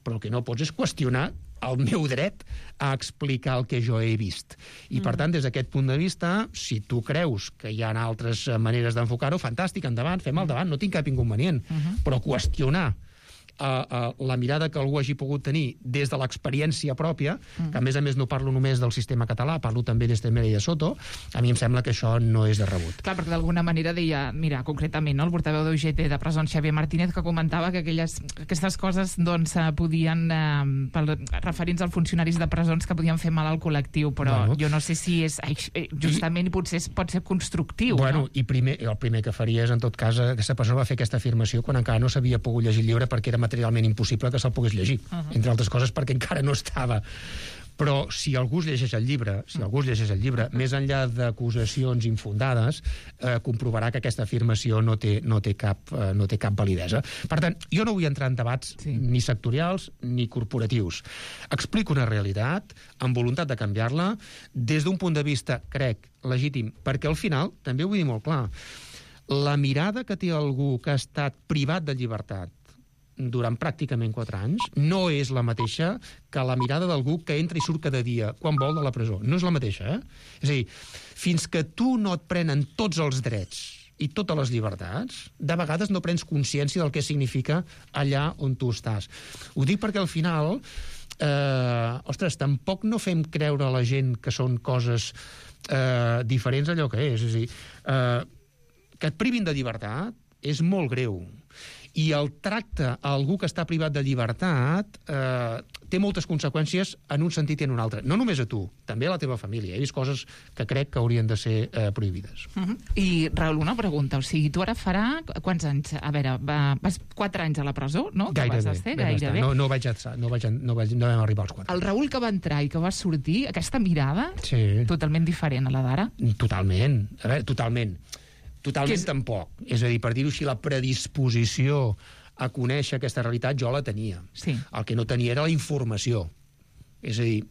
però el que no pots és qüestionar el meu dret a explicar el que jo he vist. I, per tant, des d'aquest punt de vista, si tu creus que hi ha altres maneres d'enfocar-ho, fantàstic, endavant, fem el debat, no tinc cap inconvenient. Uh-huh. Però qüestionar a, a la mirada que algú hagi pogut tenir des de l'experiència pròpia, mm. que a més a més no parlo només del sistema català, parlo també d'Estremera i de Soto, a mi em sembla que això no és de rebut. Clar, perquè d'alguna manera deia, mira, concretament, no, el portaveu d'U G T de presons, Xavier Martínez, que comentava que aquelles, aquestes coses doncs, podien, eh, pel, referents als funcionaris de presons, que podien fer mal al col·lectiu, però bueno, jo no sé si és justament i potser pot ser constructiu. Bueno, no? i primer, el primer que faria és, en tot cas, aquesta persona va fer aquesta afirmació quan encara no s'havia pogut llegir el llibre perquè era materialment impossible que se'l pogués llegir, uh -huh. entre altres coses perquè encara no estava. Però si algú es llegeix el llibre, si algú es llegeix el llibre, més enllà d'acusacions infundades, eh, comprovarà que aquesta afirmació no té, no té, cap, eh, no té cap validesa. Per tant, jo no vull entrar en debats sí. ni sectorials ni corporatius. Explico una realitat amb voluntat de canviar-la des d'un punt de vista, crec, legítim, perquè al final, també ho vull dir molt clar, la mirada que té algú que ha estat privat de llibertat durant pràcticament quatre anys, no és la mateixa que la mirada d'algú que entra i surt cada dia, quan vol, de la presó. No és la mateixa, eh? És a dir, fins que tu no et prenen tots els drets i totes les llibertats, de vegades no prens consciència del que significa allà on tu estàs. Ho dic perquè al final, eh, ostres, tampoc no fem creure a la gent que són coses eh, diferents d'allò que és. És a dir, eh, que et privin de llibertat és molt greu. I el tracte a algú que està privat de llibertat eh, té moltes conseqüències en un sentit i en un altre. No només a tu, també a la teva família. He vist coses que crec que haurien de ser eh, prohibides. Uh -huh. I, Raül, una pregunta. O sigui, tu ara farà... Quants anys? A veure, va, vas quatre anys a la presó, no? Gairebé. Vas estar, gairebé. No, no, vaig, no, vaig, no, vaig, no vam arribar als quatre. El Raül que va entrar i que va sortir, aquesta mirada, sí. totalment diferent a la d'ara? Totalment. A veure, totalment. Totalment és... tampoc. És a dir, per dir-ho així, la predisposició a conèixer aquesta realitat jo la tenia. Sí. El que no tenia era la informació. És a dir,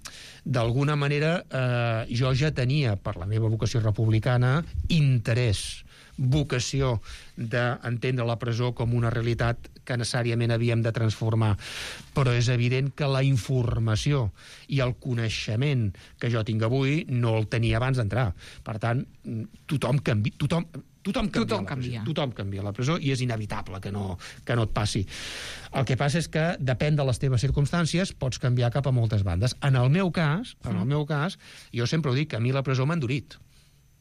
d'alguna manera eh, jo ja tenia, per la meva vocació republicana, interès, vocació d'entendre la presó com una realitat que necessàriament havíem de transformar. Però és evident que la informació i el coneixement que jo tinc avui no el tenia abans d'entrar. Per tant, tothom canvia... Tothom, Tothom canvia, tothom canvia. Tothom canvia a la presó i és inevitable que no, que no et passi. El que passa és que depèn de les teves circumstàncies, pots canviar cap a moltes bandes. En el meu cas, en el meu cas, jo sempre ho dic, que a mi la presó m'ha endurit.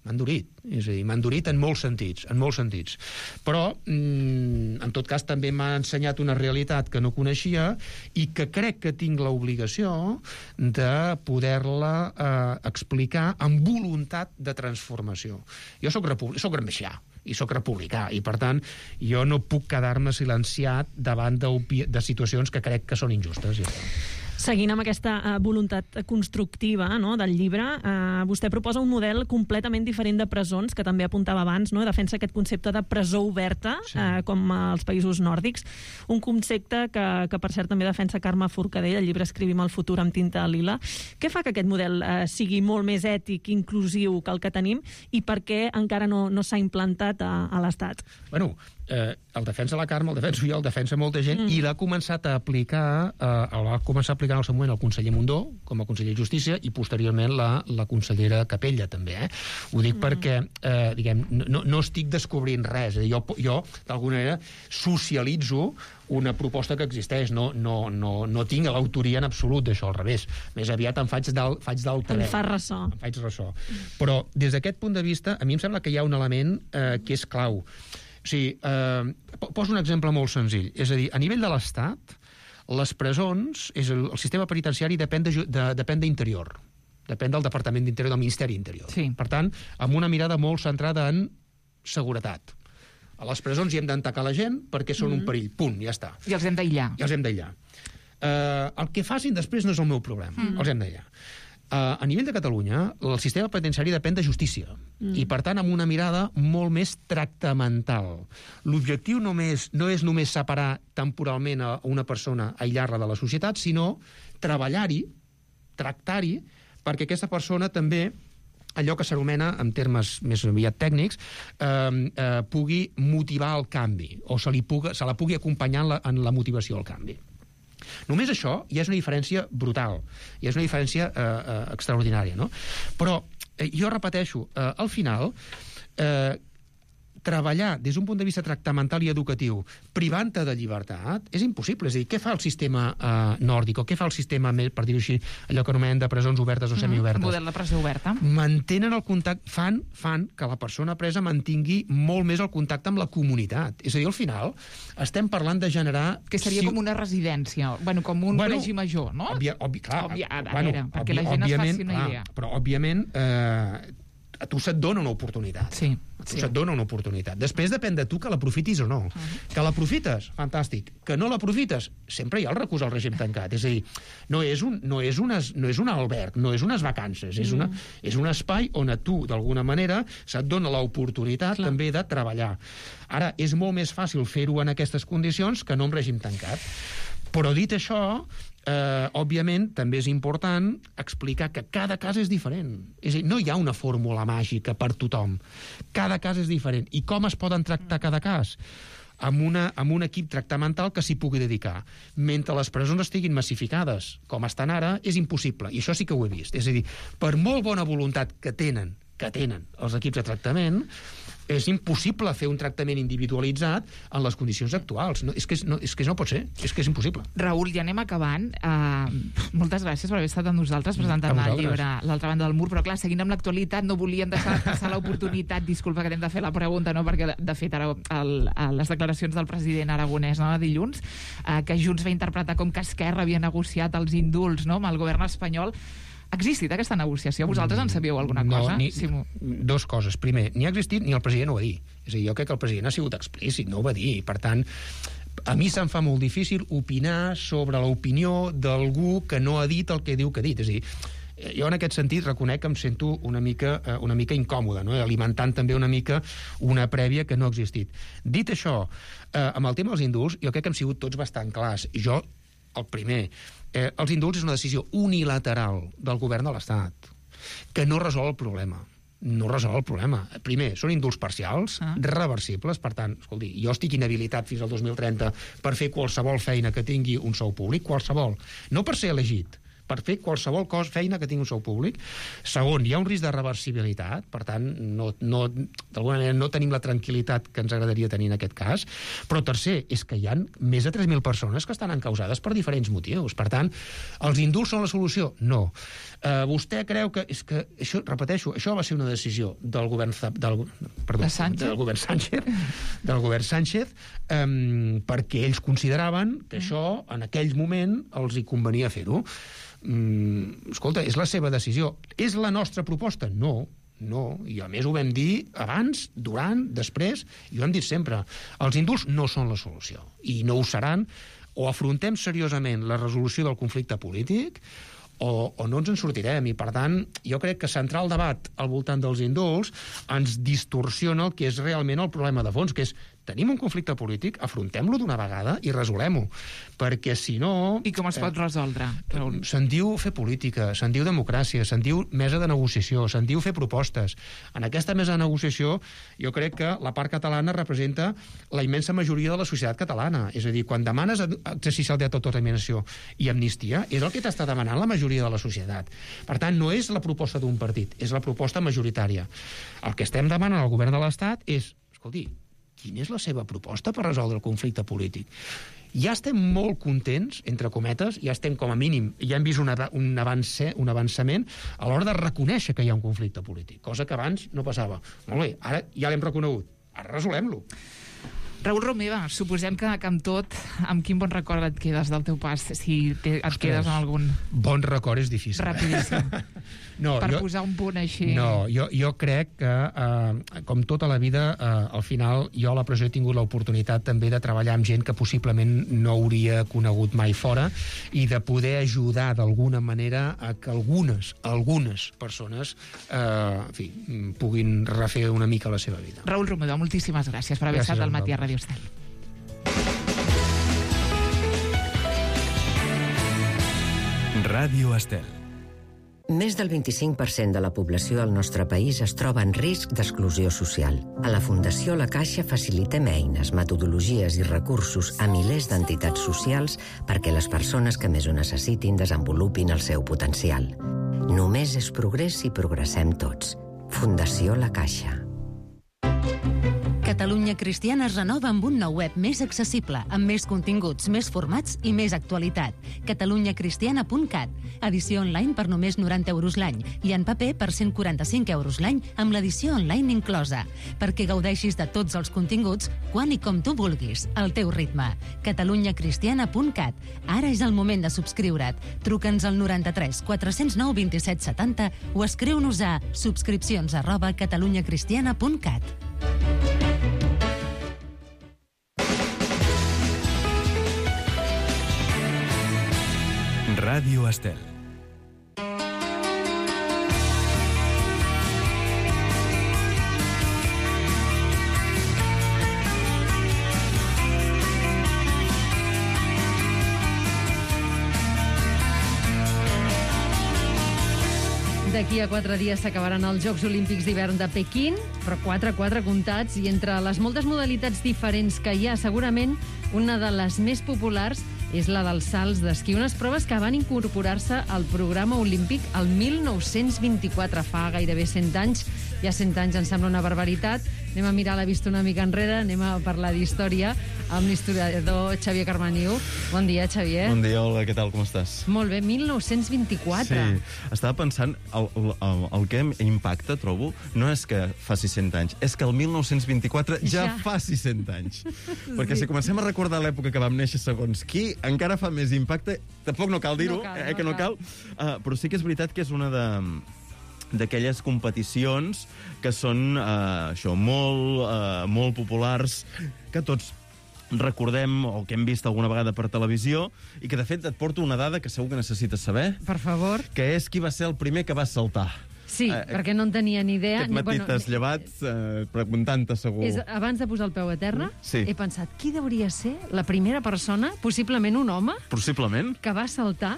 M'ha endurit. És a dir, m'ha endurit en molts sentits, en molts sentits. Però, mm, en tot cas, també m'ha ensenyat una realitat que no coneixia i que crec que tinc l'obligació de poder-la eh, explicar amb voluntat de transformació. Jo soc, soc gramscià i soc republicà, i per tant jo no puc quedar-me silenciat davant de, de situacions que crec que són injustes. Ja. Seguint amb aquesta uh, voluntat constructiva, no, del llibre, uh, vostè proposa un model completament diferent de presons, que també apuntava abans, no? Defensa aquest concepte de presó oberta, sí. uh, com als països nòrdics, un concepte que, que per cert també defensa Carme Forcadell, el llibre Escrivim el futur amb tinta lila. Què fa que aquest model uh, sigui molt més ètic i inclusiu que el que tenim, i per què encara no, no s'ha implantat a, a l'Estat? Bueno, eh, el defensa la Carme, el defenso jo, el defensa molta gent, mm. i l'ha començat a aplicar, eh, el va començar a aplicar en el seu moment el conseller Mundó, com a conseller de Justícia, i posteriorment la, la consellera Capella, també. Eh? Ho dic mm. perquè, eh, diguem, no, no estic descobrint res. Jo, jo d'alguna manera, socialitzo una proposta que existeix. No, no, no, no tinc l'autoria en absolut d'això, al revés. Més aviat em faig d'altaveu. En fa ressò. Em faig ressò. Però, des d'aquest punt de vista, a mi em sembla que hi ha un element eh, que és clau. O sigui, eh, poso un exemple molt senzill. És a dir, a nivell de l'Estat, les presons, és el, el sistema penitenciari depèn de, de, depèn d'Interior. Depèn del Departament d'Interior, del Ministeri d'Interior. Sí. Per tant, amb una mirada molt centrada en seguretat. A les presons hi hem d'entacar la gent perquè són mm. un perill. Punt, ja està. I els hem d'aïllar. I els hem d'aïllar. Eh, el que facin després no és el meu problema. Mm. Els hem d'aïllar. Uh, a nivell de Catalunya, el sistema penitenciari depèn de justícia, mm. i per tant amb una mirada molt més tractamental. L'objectiu només, no és només separar temporalment a una persona, aïllar-la de la societat, sinó treballar-hi, tractar-hi, perquè aquesta persona també, allò que s'anomena, en termes més aviat tècnics, eh, eh, pugui motivar el canvi, o se, li puga, se la pugui acompanyar en la, en la motivació al canvi. Només això ja és una diferència brutal, ja és una diferència eh, eh, extraordinària, no? Però eh, jo repeteixo, eh, al final, eh, treballar des d'un punt de vista tractamental i educatiu privant-te de llibertat és impossible. És a dir, què fa el sistema eh, nòrdic o què fa el sistema, per dir-ho així, allò que anomenem de presons obertes o semiobertes? Mm, model de presó oberta. Mantenen el contacte, fan, fan que la persona presa mantingui molt més el contacte amb la comunitat. És a dir, al final estem parlant de generar... Que seria si... com una residència, bueno, com un bueno, col·legi major, no? Òbvia, òbvi, clar, Òbvia, a bueno, veure, perquè òbvi, la gent es faci una clar, idea. Però, òbviament, eh, a tu se't dona una oportunitat. Sí. A tu sí. se't dona una oportunitat. Després depèn de tu que l'aprofitis o no. Uh -huh. Que l'aprofites, fantàstic. Que no l'aprofites, sempre hi ha el recurs al règim tancat. És a dir, no és un, no és unes, no és un alberg, no és unes vacances, és, una, és un espai on a tu, d'alguna manera, se't dona l'oportunitat Clar. també de treballar. Ara, és molt més fàcil fer-ho en aquestes condicions que no en règim tancat. Però dit això, eh, òbviament, també és important explicar que cada cas és diferent. És a dir, no hi ha una fórmula màgica per tothom. Cada cas és diferent. I com es poden tractar cada cas? Amb, una, amb un equip tractamental que s'hi pugui dedicar. Mentre les presons estiguin massificades, com estan ara, és impossible. I això sí que ho he vist. És a dir, per molt bona voluntat que tenen, que tenen els equips de tractament, és impossible fer un tractament individualitzat en les condicions actuals. No, és, que no, és que no pot ser, és que és impossible. Raül, ja anem acabant. Uh, moltes gràcies per haver estat amb nosaltres presentant el llibre L'altra banda del mur, però clar, seguint amb l'actualitat, no volíem deixar passar l'oportunitat, disculpa que hem de fer la pregunta, no? Perquè de fet ara el, les declaracions del president aragonès, no?, de dilluns, uh, que Junts va interpretar com que Esquerra havia negociat els indults, no?, amb el govern espanyol. Ha existit aquesta negociació? Vosaltres en sabíeu alguna cosa? No, ni, sí, dos coses. Primer, ni ha existit ni el president ho va dir. És a dir, jo crec que el president ha sigut explícit, no ho va dir. Per tant, a mi se'm fa molt difícil opinar sobre l'opinió d'algú que no ha dit el que diu que ha dit. És a dir, jo en aquest sentit reconec que em sento una mica, una mica incòmode, no? Alimentant també una mica una prèvia que no ha existit. Dit això, eh, amb el tema dels indults, jo crec que hem sigut tots bastant clars. Jo, el primer, eh, els indults és una decisió unilateral del govern de l'Estat, que no resol el problema. No resol el problema. Primer, són indults parcials, ah. reversibles, per tant, escolti, jo estic inhabilitat fins al dos mil trenta per fer qualsevol feina que tingui un sou públic, qualsevol. No per ser elegit, per fer qualsevol cosa, feina que tingui un sou públic. Segon, hi ha un risc de reversibilitat, per tant, no, no, d'alguna manera no tenim la tranquil·litat que ens agradaria tenir en aquest cas. Però tercer, és que hi ha més de tres mil persones que estan encausades per diferents motius. Per tant, els indults són la solució? No. Uh, vostè creu que... És que això, repeteixo, això va ser una decisió del govern... Del, perdó, del govern Sánchez, del govern Sánchez, um, perquè ells consideraven que això, en aquell moment, els hi convenia fer-ho. Mm, escolta, és la seva decisió. És la nostra proposta? No, no. I a més ho vam dir abans, durant, després, i ho hem dit sempre. Els indults no són la solució, i no ho seran. O afrontem seriosament la resolució del conflicte polític, o, o no ens en sortirem. I, per tant, jo crec que centrar el debat al voltant dels indults ens distorsiona el que és realment el problema de fons, que és tenim un conflicte polític, afrontem-lo d'una vegada i resolem-ho. Perquè, si no... I com es pot resoldre? Eh, se'n diu fer política, se'n diu democràcia, se'n diu mesa de negociació, se'n diu fer propostes. En aquesta mesa de negociació, jo crec que la part catalana representa la immensa majoria de la societat catalana. És a dir, quan demanes exercici del dret d'autodeterminació i amnistia, és el que t'està demanant la majoria de la societat. Per tant, no és la proposta d'un partit, és la proposta majoritària. El que estem demanant al govern de l'Estat és, escolti, quina és la seva proposta per resoldre el conflicte polític? Ja estem molt contents, entre cometes, ja estem com a mínim, ja hem vist un, un, avance, un avançament a l'hora de reconèixer que hi ha un conflicte polític, cosa que abans no passava. Molt bé, ara ja l'hem reconegut, ara resolem-lo. Raül Romeva, suposem que, que amb tot, amb quin bon record et quedes del teu pas, si te, et Ostres, quedes amb algun... Bon record és difícil. Rapidíssim. No, per jo, posar un punt així... No, jo, jo crec que, eh, com tota la vida, eh, al final, jo a la presó he tingut l'oportunitat també de treballar amb gent que possiblement no hauria conegut mai fora i de poder ajudar d'alguna manera a que algunes, algunes persones eh, en fi, puguin refer una mica la seva vida. Raül Romeva, moltíssimes gràcies per haver gràcies estat al Matí a Ràdio Estel. Ràdio Estel. Més del vint-i-cinc per cent de la població al nostre país es troba en risc d'exclusió social. A la Fundació La Caixa facilitem eines, metodologies i recursos a milers d'entitats socials perquè les persones que més ho necessitin desenvolupin el seu potencial. Només és progrés si progressem tots. Fundació La Caixa. Catalunya Cristiana es renova amb un nou web més accessible, amb més continguts, més formats i més actualitat. catalunya cristiana punt cat. Edició online per només noranta euros l'any i en paper per cent quaranta-cinc euros l'any amb l'edició online inclosa. Perquè gaudeixis de tots els continguts quan i com tu vulguis, al teu ritme. catalunya cristiana punt cat. Ara és el moment de subscriure't. Truca'ns al noranta-tres quatre-cents nou vint-i-set setanta o escriu-nos a subscripcions arroba catalunya cristiana punt cat. Ràdio Estel. D'aquí a quatre dies s'acabaran els Jocs Olímpics d'hivern de Pequín, però quatre, quatre comptats, i entre les moltes modalitats diferents que hi ha, segurament una de les més populars és la dels salts d'esquí, unes proves que van incorporar-se al programa olímpic el mil nou-cents vint-i-quatre, fa gairebé cent anys. Ja cent anys em sembla una barbaritat. Anem a mirar la vista una mica enrere, anem a parlar d'història amb l'historiador Xavier Carmaniu. Bon dia, Xavier. Bon dia, hola, què tal, com estàs? Molt bé, mil nou-cents vint-i-quatre. Sí, estava pensant, el, el, el que impacta, trobo, no és que faci cent anys, és que el mil nou-cents vint-i-quatre ja, ja faci cent anys. Perquè si comencem a recordar l'època que vam néixer segons qui, encara fa més impacte. Tampoc no cal dir-ho, no cal, eh, no que no cal. cal. Uh, però sí que és veritat que és una de... d'aquelles competicions que són uh, això, molt, uh, molt populars, que tots recordem o que hem vist alguna vegada per televisió, i que de fet et porto una dada que segur que necessites saber. Per favor. Que és qui va ser el primer que va saltar. Sí, eh, perquè no en tenia ni idea. Aquest matí bueno, t'has llevat eh, preguntant-te segur. És, abans de posar el peu a terra, sí. He pensat, qui hauria ser la primera persona, possiblement un home, possiblement, que va saltar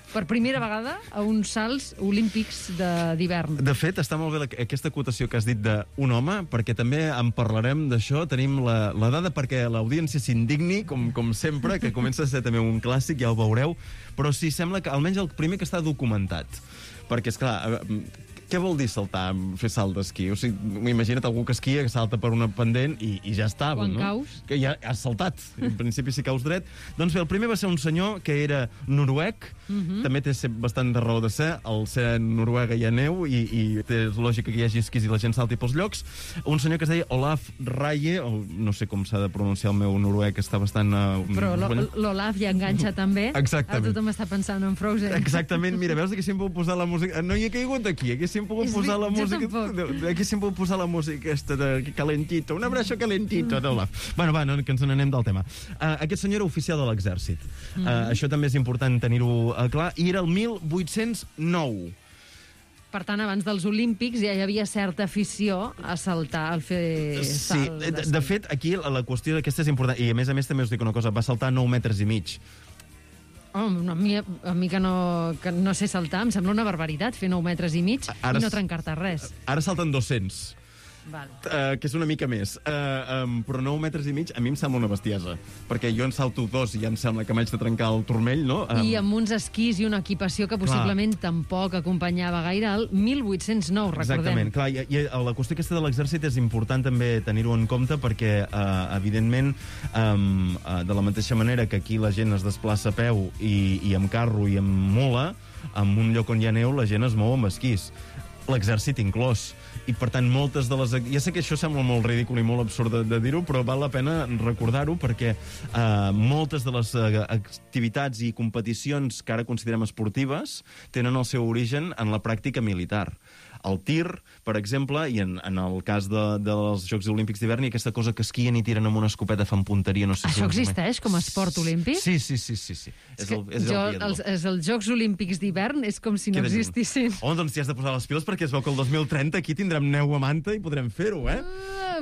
per primera vegada a uns salts olímpics d'hivern. De fet, està molt bé la, aquesta acotació que has dit d'un home, perquè també en parlarem d'això. Tenim la, la dada perquè l'audiència s'indigni, com, com sempre, que comença a ser també un clàssic, ja ho veureu, però sí, sembla que almenys el primer que està documentat. Perquè, esclar, què vol dir saltar, fer salt d'esquí? O sigui, imagina't algú que esquia, que salta per una pendent i, i ja estava, Quan no? caus. Que ja has saltat. En principi, si caus dret. Doncs bé, el primer va ser un senyor que era noruec, uh-huh. També té bastant de raó de ser, al ser Noruega hi ha neu i, i té lògica que hi hagi esquís i la gent salti pels llocs. Un senyor que es deia Olaf Raye, o no sé com s'ha de pronunciar el meu noruec, està bastant... Uh, Però l'Olaf ja enganxa també. Exactament. Ara tothom està pensant en Frozen. Exactament. Mira, veus que haguéssim pogut posar la música... No hi he caigut aquí, haguéssim pogut És posar la jo música... tampoc. Haguéssim pogut posar la música aquesta de calentito, un abraço calentito d'Olaf. Bueno, va, no, que ens n'anem del tema. Uh, aquest senyor era oficial de l'exèrcit. Uh, Mhm. Això també és important tenir-ho uh, clar. I era el mil vuit-cents nou. Per tant, abans dels Olímpics ja hi havia certa afició a saltar, al fer Sí, salt. de, de fet, aquí la, la qüestió d'aquesta és important. I a més a més també us dic una cosa, va saltar nou metres i mig. Oh, a, mi, a mi que no, que no sé saltar, em sembla una barbaritat fer nou metres i mig Ara i no s- trencar-te res. Ara salten dos-cents. Val. Uh, que és una mica més. Uh, um, però nou metres i mig a mi em sembla una bestiesa. Perquè jo en salto dos i ja em sembla que m'haig de trencar el turmell, no? Um, I amb uns esquís i una equipació que possiblement clar. tampoc acompanyava gaire el mil vuit-cents nou, recordem. Exactament, clar, i, i la qüestió aquesta de l'exèrcit és important també tenir-ho en compte perquè, uh, evidentment, um, uh, de la mateixa manera que aquí la gent es desplaça a peu i, i amb carro i amb mula, en un lloc on hi ha neu la gent es mou amb esquís. L'exèrcit inclòs. I, per tant, moltes de les... Ja sé que això sembla molt ridícul i molt absurd de, de dir-ho, però val la pena recordar-ho perquè eh, moltes de les eh, activitats i competicions que ara considerem esportives tenen el seu origen en la pràctica militar. El tir, per exemple, i en, en el cas de, dels Jocs Olímpics d'hivern, i aquesta cosa que esquien i tiren amb una escopeta, fan punteria, no sé Això si... existeix com a esport olímpic? Sí, sí, sí, sí. sí. És, és que el, és jo, el els, els, els Jocs Olímpics d'hivern és com si no Queda existissin. Oh, doncs t'hi has de posar les piles perquè es veu que el dos mil trenta aquí tindrem neu a manta i podrem fer-ho, eh?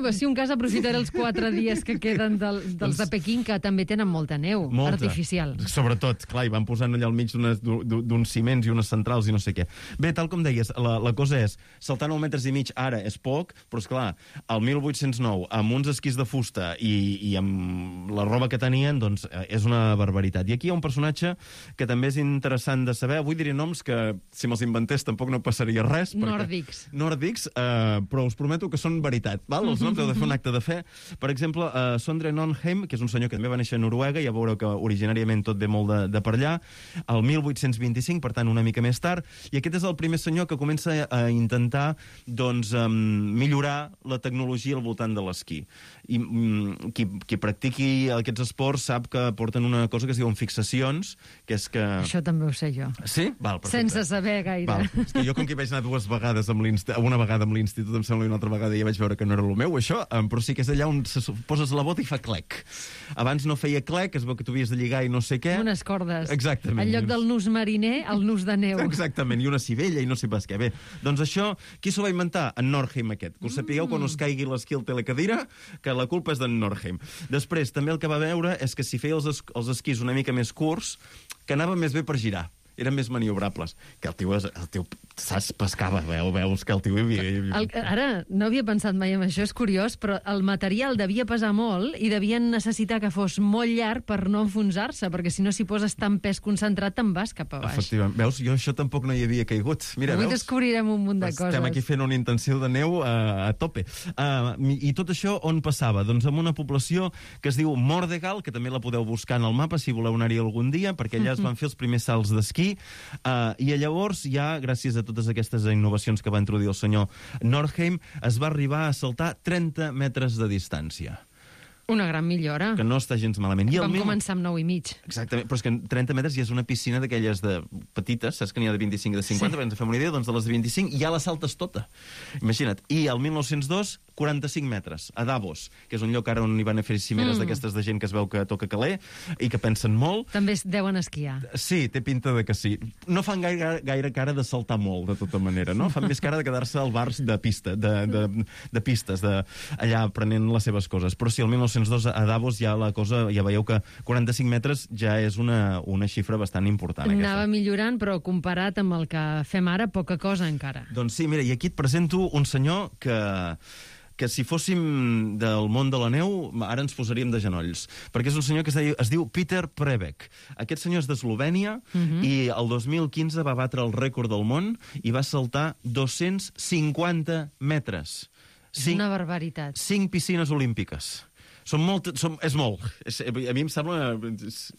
Ah, si un cas aprofitaré els quatre dies que queden del, dels de Pequín, que també tenen molta neu Molta. artificial. Sobretot, clar, i van posant allà al mig d'unes- d'uns ciments i unes centrals i no sé què. Bé, tal com deies, la, la cosa és és, saltar nou metres i mig ara és poc, però, esclar, el mil vuit-cents nou, amb uns esquís de fusta i, i amb la roba que tenien, doncs és una barbaritat. I aquí hi ha un personatge que també és interessant de saber. Avui diré noms que, si me'ls inventés, tampoc no passaria res. Nòrdics. Nòrdics, eh, però us prometo que són veritat. Val? Els noms heu de fer un acte de fe. Per exemple, eh, Sondre Nonheim, que és un senyor que també va néixer a Noruega, ja veureu que originàriament tot ve molt de, de per allà, el mil vuit-cents vint-i-cinc, per tant, una mica més tard, i aquest és el primer senyor que comença a intentar doncs, um, millorar la tecnologia al voltant de l'esquí. I um, qui, qui practiqui aquests esports sap que porten una cosa que es diuen fixacions, que és que... Això també ho sé jo. Sí? Val, perfecte. Sense saber gaire. Val. És que jo, com que hi vaig anar dues vegades amb l'institut, una vegada amb l'institut, em sembla, i una altra vegada ja vaig veure que no era el meu, això, però sí que és allà on se poses la bota i fa clec. Abans no feia clec, es veu que tu havies de lligar i no sé què. Unes cordes. Exactament. En lloc del nus mariner, el nus de neu. Exactament, i una civella i no sé pas què. Bé, doncs això, qui s'ho va inventar? En Nordheim aquest. Que us sapigueu quan us caigui l'esquí al telecadira, que la culpa és d'en Nordheim. Després, també el que va veure és que si feia els, es els esquís una mica més curts, que anava més bé per girar. Eren més maniobrables. Que el tio, el tio saps, pescava, veu, veus que el tio... Havia... El, ara, no havia pensat mai en això, és curiós, però el material devia pesar molt i devien necessitar que fos molt llarg per no enfonsar-se, perquè si no s'hi poses tant pes concentrat te'n vas cap a baix. Efectivament. Veus, jo això tampoc no hi havia caigut. Mira, avui veus? Descobrirem un munt de coses. Estem aquí fent una intensiu de neu a, a tope. Uh, I tot això on passava? Doncs en una població que es diu Mordegal, que també la podeu buscar en el mapa si voleu anar-hi algun dia, perquè allà es van fer els primers salts d'esquí. Uh, I llavors, ja, gràcies a totes aquestes innovacions que va introduir el senyor Nordheim, es va arribar a saltar trenta metres de distància. Una gran millora. Que no està gens malament. I Vam mil... començar amb nou i mig. Exactament, però és que trenta metres ja és una piscina d'aquelles de petites, saps que n'hi ha de vint-i-cinc i de cinquanta, sí. Per ens fem una idea, doncs de les de vint-i-cinc ja la saltes tota. Imagina't. I el mil nou-cents dos, quaranta-cinc metres, a Davos, que és un lloc ara on hi van a fer cimeres mm. d'aquestes de gent que es veu que toca caler i que pensen molt. També es deuen esquiar. Sí, té pinta de que sí. No fan gaire, gaire cara de saltar molt, de tota manera, no? Fan més cara de quedar-se al bar de pista, de, de, de pistes, de, allà aprenent les seves coses. Però sí, el mil nou-cents dos a Davos ja la cosa, ja veieu que quaranta-cinc metres ja és una, una xifra bastant important. Anava aquesta. millorant, però comparat amb el que fem ara, poca cosa encara. Doncs sí, mira, i aquí et presento un senyor que... que si fóssim del món de la neu, ara ens posaríem de genolls. Perquè és un senyor que es, deia, es diu Peter Prebeck. Aquest senyor és d'Eslovènia uh-huh. i el dos mil quinze va batre el rècord del món i va saltar dos-cents cinquanta metres. És una barbaritat. Cinc piscines olímpiques. Són molt, són, és molt. És, a mi em sembla...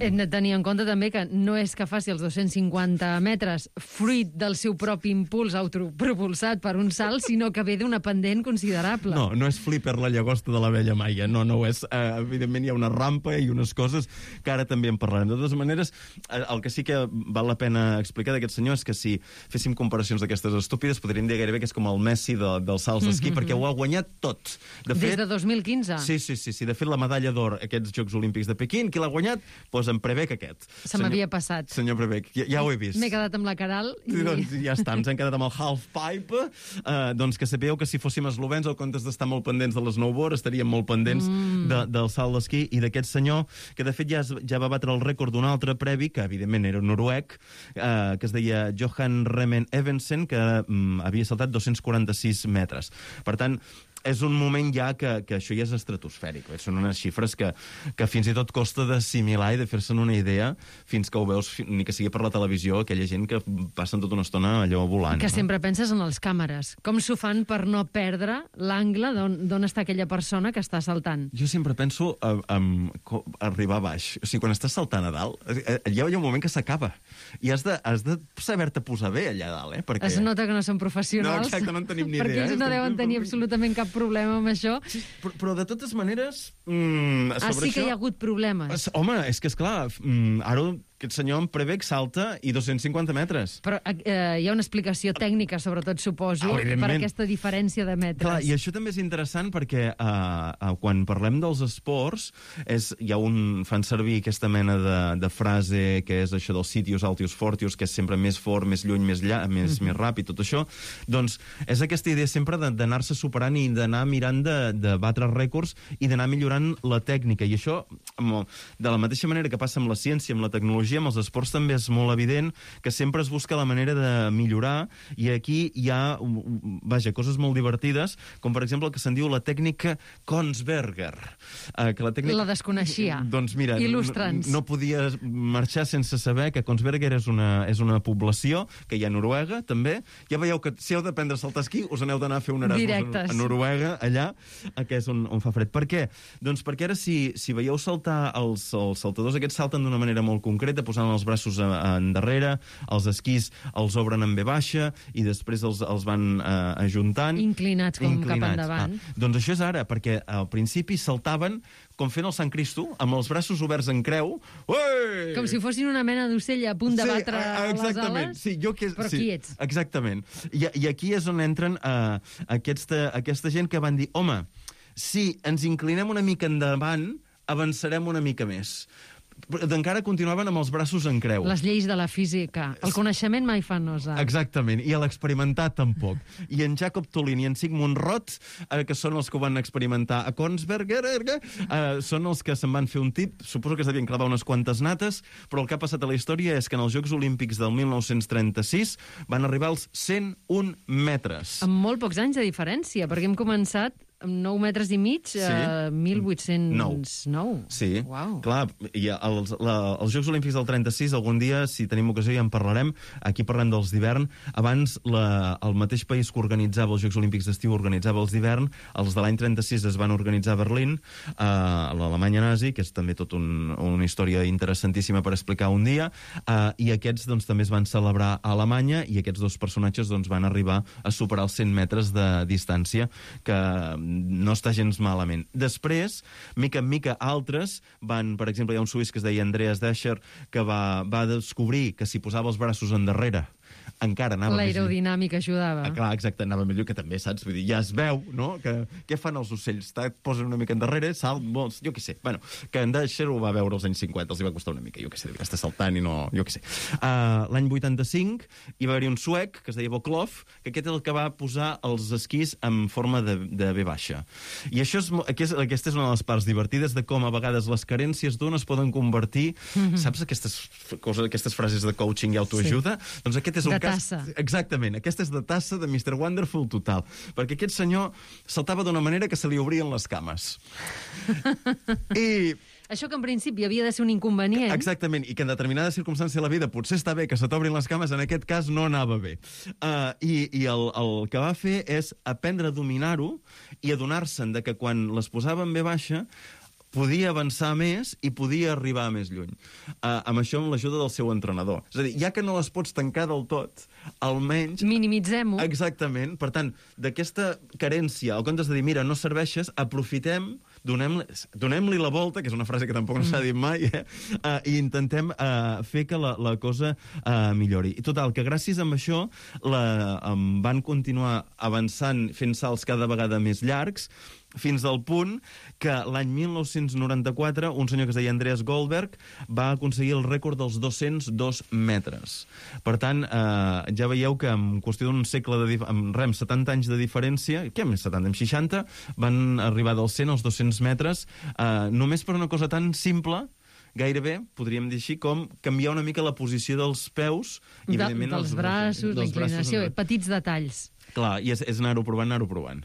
Hem de tenir en compte també que no és que faci els dos-cents cinquanta metres fruit del seu propi impuls autopropulsat per un salt, sinó que ve d'una pendent considerable. No, no és flipper la llagosta de la vella Maia, no, no ho és. Uh, evidentment hi ha una rampa i unes coses que ara també en parlarem. De totes maneres, el que sí que val la pena explicar d'aquest senyor és que si féssim comparacions d'aquestes estúpides, podríem dir gairebé que és com el Messi de, dels salts d'esquí, mm-hmm. perquè ho ha guanyat tot. De fet, des de dos mil quinze? Sí, sí, sí, sí. De fet, la medalla d'or aquests Jocs Olímpics de Pequín, qui l'ha guanyat? Doncs en Prebeck aquest. Se m'havia passat. Senyor Prebeck, ja, ja ho he vist. M'he quedat amb la Caral. I... I doncs ja està, ens hem quedat amb el half-pipe. Uh, doncs que sapigueu que si fóssim eslovens, al comptes d'estar molt pendents de l'snowboard, estaríem molt pendents mm. de, del salt d'esquí i d'aquest senyor, que de fet ja, ja va batre el rècord d'un altre previ, que evidentment era noruec, uh, que es deia Johan Remen Evensen, que um, havia saltat dos-cents quaranta-sis metres. Per tant, és un moment ja que, que això ja és estratosfèric. Són unes xifres que, que fins i tot costa d'assimilar i de fer-se'n una idea fins que ho veus, ni que sigui per la televisió, aquella gent que passen tota una estona allò volant. Que no? sempre penses en les càmeres. Com s'ho fan per no perdre l'angle d'on està aquella persona que està saltant? Jo sempre penso en, en arribar a baix. O sigui, quan estàs saltant a dalt, hi ha un moment que s'acaba. I has de, has de saber-te posar bé allà a dalt, eh? Perquè... Es nota que no són professionals. No, exacte, no en tenim ni idea. Perquè ells no deuen tenir absolutament cap problema amb això. Sí, però, però de totes maneres... Mm, ah, sí que això... hi ha hagut problemes. Home, és que, esclar, mm, ara aquest senyor en Prebeck salta i dos-cents cinquanta metres. Però eh, hi ha una explicació tècnica, sobretot, suposo, ah, per aquesta diferència de metres. Clar, i això també és interessant perquè uh, uh, quan parlem dels esports, és, hi ha un, fan servir aquesta mena de, de frase que és això del sitius altius fortius, que és sempre més fort, més lluny, més, lla, més, mm. més ràpid, tot això. Doncs és aquesta idea sempre d'anar-se superant i d'anar mirant de, de batre rècords i d'anar millorant la tècnica. I això, de la mateixa manera que passa amb la ciència, amb la tecnologia, l'esportologia, amb els esports també és molt evident que sempre es busca la manera de millorar, i aquí hi ha, vaja, coses molt divertides, com per exemple el que se'n diu la tècnica Kongsberger. Eh, que la, tècnica... la desconeixia. Doncs mira, Il·lustra'ns. no, no podia marxar sense saber que Kongsberger és una, és una població que hi ha a Noruega, també. Ja veieu que si heu d'aprendre a saltar esquí, us aneu d'anar a fer un Erasmus Directes. a Noruega, allà, que és on, on fa fred. Per què? Doncs perquè ara, si, si veieu saltar, els, els saltadors aquests salten d'una manera molt concreta, posant els braços a, a endarrere, els esquís els obren en ve baixa i després els, els van eh, ajuntant. Inclinats com Inclinats. cap endavant. Ah, doncs això és ara, perquè al principi saltaven com fent el Sant Cristo, amb els braços oberts en creu. Ué! Com si fossin una mena d'ocell a punt de Sí, batre a- les exactament. ales, Sí, jo que, però sí, quiets. Exactament. I, I aquí és on entren uh, aquesta, aquesta gent que van dir, home, si ens inclinem una mica endavant, avançarem una mica més. Encara continuaven amb els braços en creu. Les lleis de la física. El coneixement mai fa nosa. Exactament, i l'experimentat tampoc. I en Jacob Tolin i en Sigmund Roth, eh, que són els que ho van experimentar a Kongsberger, eh, són els que se'n van fer un tip, suposo que es devien clavar unes quantes nates, però el que ha passat a la història és que en els Jocs Olímpics del mil nou-cents trenta-sis van arribar als cent un metres. Amb molt pocs anys de diferència, perquè hem començat amb nou metres i mig Sí. a mil vuit-cents nou. Sí, Uau. clar, i els, la, els Jocs Olímpics del trenta-sis, algun dia, si tenim ocasió, ja en parlarem. Aquí parlem dels d'hivern. Abans, la, el mateix país que organitzava els Jocs Olímpics d'estiu organitzava els d'hivern. Els de l'any trenta-sis es van organitzar a Berlín, a l'Alemanya nazi, que és també tot un, una història interessantíssima per explicar un dia, uh, i aquests doncs, també es van celebrar a Alemanya, i aquests dos personatges doncs, van arribar a superar els cent metres de distància, que no està gens malament. Després, mica en mica, altres van, per exemple, hi ha un suís que es deia Andreas Descher, que va, va descobrir que si posava els braços endarrere encara anava més lluny. L'aerodinàmica ajudava. Ah, clar, exacte, anava millor, que també, saps? Vull dir, ja es veu, no?, que què fan els ocells? Et posen una mica endarrere, salt, molts, jo què sé. Bueno, que en Descher ho va veure als anys cinquanta, els hi va costar una mica, jo què sé, devia estar saltant i no... jo què sé. Uh, L'any vuitanta-cinc hi va haver un suec, que es deia Boklov, que aquest és el que va posar els esquís en forma de, de ve baixa. I això és, aquest, aquesta és una de les parts divertides de com a vegades les carències d'un es poden convertir, mm-hmm. saps aquestes coses, aquestes frases de coaching i autoajuda? Sí. Doncs aquest és un de cas... tassa. Exactament, aquesta és de tassa de mister Wonderful total, perquè aquest senyor saltava d'una manera que se li obrien les cames. I... Això que en principi havia de ser un inconvenient. Exactament, i que en determinades circumstàncies de la vida potser està bé que se t'obrin les cames, en aquest cas no anava bé. Uh, I i el, el que va fer és aprendre a dominar-ho i adonar-se'n de que quan les posava en ve baixa podia avançar més i podia arribar més lluny. Uh, amb això, amb l'ajuda del seu entrenador. És a dir, ja que no les pots tancar del tot, almenys... Minimitzem-ho. Exactament. Per tant, d'aquesta carència, al comptes de dir, mira, no serveixes, aprofitem, donem-li donem la volta, que és una frase que tampoc no s'ha dit mai, eh? uh, i intentem uh, fer que la, la cosa uh, millori. I total, que gràcies a això la, um, van continuar avançant, fent salts cada vegada més llargs, fins al punt que l'any mil nou-cents noranta-quatre un senyor que es deia Andreas Goldberg va aconseguir el rècord dels dos-cents dos metres. Per tant, eh, ja veieu que en qüestió d'un segle, de dif- amb rem, setanta anys de diferència, què més setanta, amb seixanta, van arribar dels cent als dos-cents metres, eh, només per una cosa tan simple, gairebé, podríem dir així, com canviar una mica la posició dels peus i, De, evidentment, dels els braços, la dels inclinació, braços, petits detalls. clar, i és, és anar-ho provant, anar-ho provant.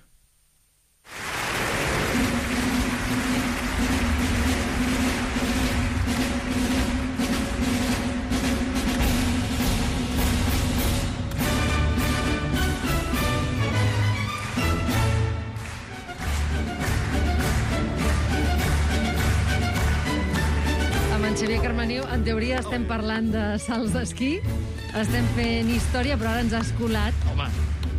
Xavier Carmeniu, en teoria estem parlant de salts d'esquí, estem fent història, però ara ens has colat Home.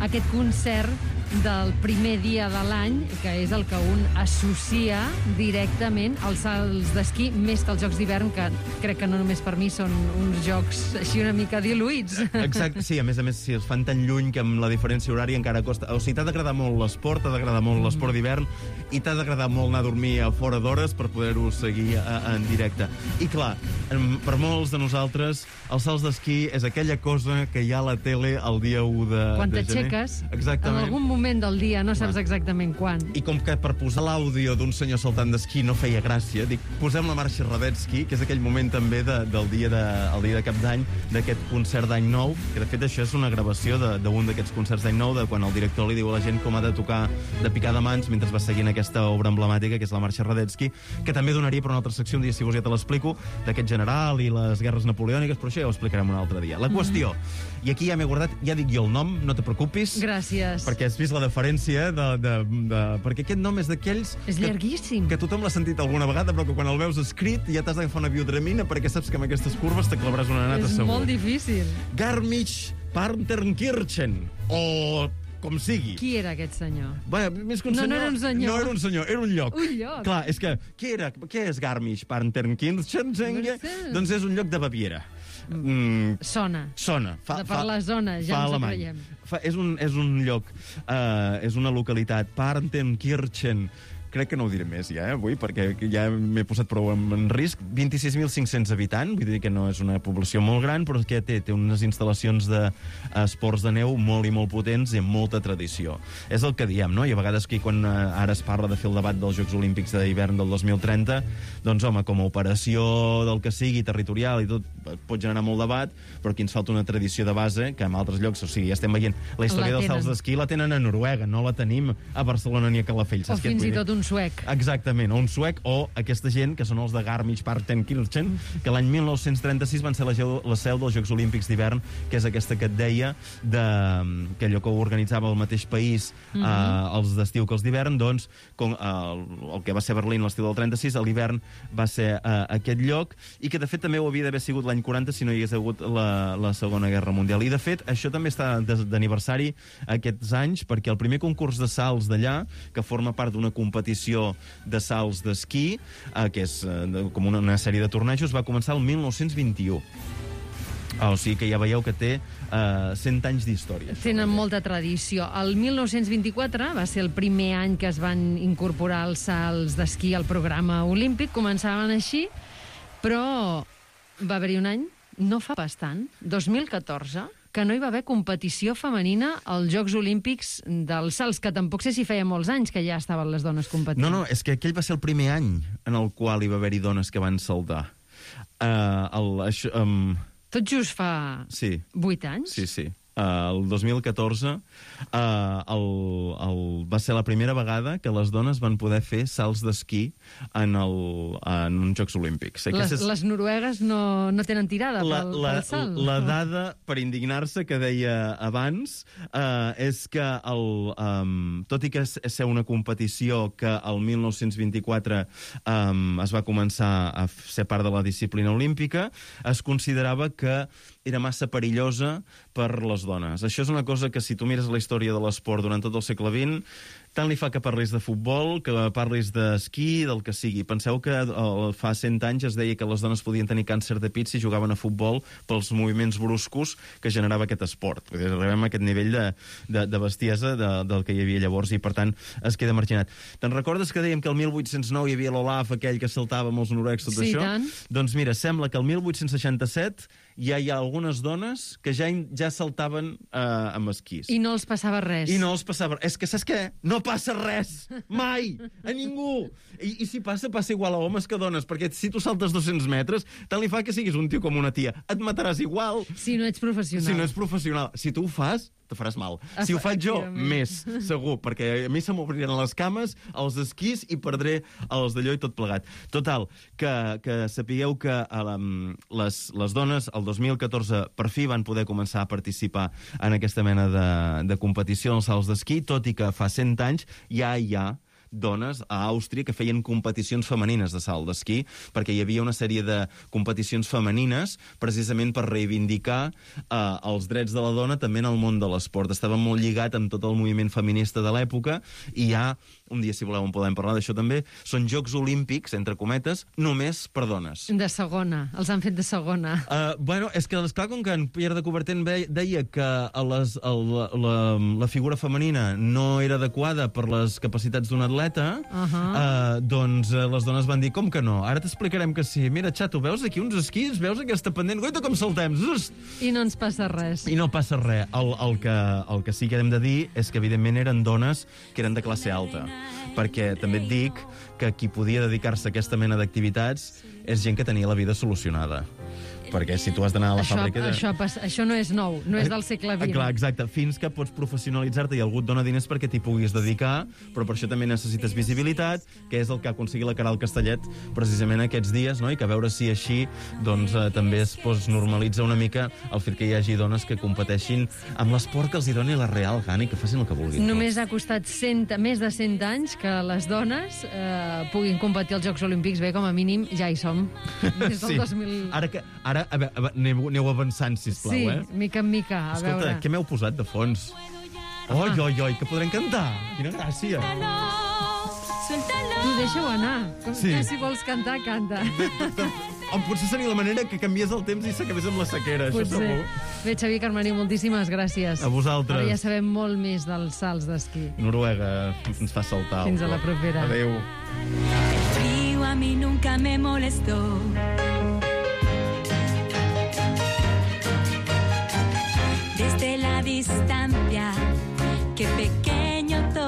aquest concert del primer dia de l'any, que és el que un associa directament als salts d'esquí, més que als Jocs d'hivern, que crec que no només per mi són uns jocs així una mica diluïts. Exacte, sí, a més a més, si els fan tan lluny que amb la diferència horària encara costa... O sigui, t'ha d'agradar molt l'esport, t'ha d'agradar molt l'esport d'hivern, i t'ha d'agradar molt anar a dormir a fora d'hores per poder-ho seguir a, a, en directe. I clar, per molts de nosaltres, els salts d'esquí és aquella cosa que hi ha a la tele el dia u de, Quan de gener. t'aixeques, Exactament. en algun moment moment del dia, no saps exactament quan. I com que per posar l'àudio d'un senyor saltant d'esquí no feia gràcia, dic, posem la marxa Radetzky, que és aquell moment també de, del dia de, el dia de cap d'any, d'aquest concert d'any nou, que de fet això és una gravació d'un d'aquests concerts d'any nou, de quan el director li diu a la gent com ha de tocar de picar de mans mentre va seguint aquesta obra emblemàtica, que és la marxa Radetzky, que també donaria per una altra secció, un dia si vols ja te l'explico, d'aquest general i les guerres napoleòniques, però això ja ho explicarem un altre dia. La qüestió, mm. i aquí ja m'he guardat, ja dic jo el nom, no te preocupis. Gràcies. Perquè has vist la deferència de... de, de perquè aquest nom és d'aquells... És llarguíssim. Que, que tothom l'ha sentit alguna vegada, però que quan el veus escrit ja t'has d'agafar una biodramina perquè saps que amb aquestes curves te clavaràs una nata segur. És molt difícil. Garmisch-Partenkirchen, o com sigui. Qui era aquest senyor? Bé, més que un no, senyor... No, era un senyor. No era un senyor, era un lloc. Un lloc. Clar, és que... Què era? Què és Garmisch-Partenkirchen? Doncs és un lloc de Baviera. Mm. Sona. Sona. Fa, per fa, la zona, ja ens ho creiem. Fa, és, un, és un lloc, uh, és una localitat, Partenkirchen. Crec que no ho diré més ja, eh, avui, perquè ja m'he posat prou en, en risc. vint-i-sis mil cinc-cents habitants, vull dir que no és una població molt gran, però que té, té unes instal·lacions d'esports de, de neu molt i molt potents i amb molta tradició. És el que diem, no? I a vegades que quan uh, ara es parla de fer el debat dels Jocs Olímpics d'hivern del dos mil trenta, doncs, home, com a operació del que sigui, territorial i tot, pot generar molt debat, però aquí ens falta una tradició de base que en altres llocs, o sigui, ja estem veient la història dels salts d'esquí, la tenen a Noruega, no la tenim a Barcelona ni a Calafell. O fins i tot un suec. Exactament, o un suec, o aquesta gent, que són els de Garmisch-Partenkirchen, que l'any mil nou-cents trenta-sis van ser la, la seu dels Jocs Olímpics d'hivern, que és aquesta que et deia, de, que allò que ho organitzava el mateix país, mm-hmm. eh, els d'estiu que els d'hivern, doncs, com, eh, el, el que va ser Berlín l'estiu del trenta-sis, a l'hivern va ser eh, aquest lloc, i que de fet també ho havia d'haver sigut l'any quaranta si no hi hagués hagut la, la Segona Guerra Mundial. I de fet, això també està d'aniversari aquests anys, perquè el primer concurs de salts d'allà, que forma part d'una competició de salts d'esquí, eh, que és eh, com una, una sèrie de tornejos, va començar el mil nou-cents vint-i-u. Ah, o sigui que ja veieu que té eh, cent anys d'història. Tenen molta tradició. El mil nou-cents vint-i-quatre va ser el primer any que es van incorporar els salts d'esquí al programa olímpic. Començaven així, però va haver-hi un any, no fa bastant, dos mil catorze, que no hi va haver competició femenina als Jocs Olímpics dels salts, que tampoc sé si feia molts anys que ja estaven les dones competint. No, no, és que aquell va ser el primer any en el qual hi va haver-hi dones que van saltar. Uh, el, això, um... Tot just fa sí. vuit anys? Sí, sí. Uh, el dos mil catorze uh, el, el, va ser la primera vegada que les dones van poder fer salts d'esquí en, el, en uns Jocs Olímpics. Les, és... les noruegues no, no tenen tirada la, pel, la, pel salt? La dada per indignar-se que deia abans uh, és que, el, um, tot i que és ser una competició que el mil nou-cents vint-i-quatre um, es va començar a ser part de la disciplina olímpica, es considerava que era massa perillosa per les dones. Això és una cosa que, si tu mires la història de l'esport durant tot el segle vint, tant li fa que parlis de futbol, que parlis d'esquí, del que sigui. Penseu que uh, fa cent anys es deia que les dones podien tenir càncer de pit si jugaven a futbol pels moviments bruscos que generava aquest esport. Vull dir, arribem a aquest nivell de, de, de bestiesa de, del que hi havia llavors i, per tant, es queda marginat. Te'n recordes que dèiem que el mil vuit-cents nou hi havia l'Olaf, aquell que saltava amb els noruecs, tot sí, això? Tant. Doncs mira, sembla que el mil vuit-cents seixanta-set ja hi ha algunes dones que ja, ja saltaven eh, amb esquís. I no els passava res. I no els passava res. És que, saps què? No passa res! Mai! A ningú! I, i si passa, passa igual a homes que a dones, perquè si tu saltes dos-cents metres, tant li fa que siguis un tio com una tia. Et mataràs igual. Si no ets professional. Si no ets professional. Si tu ho fas, te faràs mal. Si ho faig jo, més, segur, perquè a mi se m'obriran les cames, els esquís i perdré els d'allò i tot plegat. Total, que, que sapigueu que um, les, les dones el dos mil catorze per fi van poder començar a participar en aquesta mena de, de competició en els salts d'esquí, tot i que fa cent anys ja hi ha dones a Àustria que feien competicions femenines de salt d'esquí, perquè hi havia una sèrie de competicions femenines precisament per reivindicar eh, els drets de la dona també en el món de l'esport. Estava molt lligat amb tot el moviment feminista de l'època i hi ha, un dia si voleu en podem parlar d'això també, són Jocs Olímpics, entre cometes, només per dones. De segona, els han fet de segona. Uh, bueno, és que, esclar, com que en Pierre de Coubertin deia que a les, a la, la, la figura femenina no era adequada per les capacitats d'un atleta, bicicleta, Uh -huh. uh, doncs uh, les dones van dir, com que no? Ara t'explicarem que sí. Mira, xato, veus aquí uns esquís? Veus aquesta pendent? Goita, com saltem! Ust! I no ens passa res. I no passa res. El, el, que, el que sí que hem de dir és que, evidentment, eren dones que eren de classe alta. Perquè també et dic que qui podia dedicar-se a aquesta mena d'activitats és gent que tenia la vida solucionada. Perquè si tu has d'anar a la això, fàbrica... De... Això, això no és nou, no és del segle vint. Clar, exacte. Fins que pots professionalitzar-te i algú et dona diners perquè t'hi puguis dedicar, però per això també necessites visibilitat, que és el que ha aconseguit la Caral Castellet precisament aquests dies, no? I que a veure si així doncs, eh, també es pues, normalitza una mica el fet que hi hagi dones que competeixin amb l'esport que els hi doni la real gana i que facin el que vulguin. Només ha costat cent, més de cent anys que les dones eh, puguin competir als Jocs Olímpics. Bé, com a mínim, ja hi som. Des del sí. dos mil... Ara que... Ara, a veure, a veure, aneu, aneu avançant, sisplau, sí, eh? Sí, mica en mica, a Escolta, veure. què m'heu posat de fons? Oi, oi, oi, que podrem cantar! Quina gràcia! Tu deixa-ho anar. Com Sí. que si vols cantar, canta. O potser seria la manera que canviés el temps i s'acabés amb la sequera, això Potser. segur. Bé, Xavier Carmení, moltíssimes gràcies. A vosaltres. Ara ja sabem molt més dels salts d'esquí. Noruega ens fa saltar. Fins a la propera. Adéu. El frío a mí nunca me molestó. Desde la distancia, qué pequeño todo.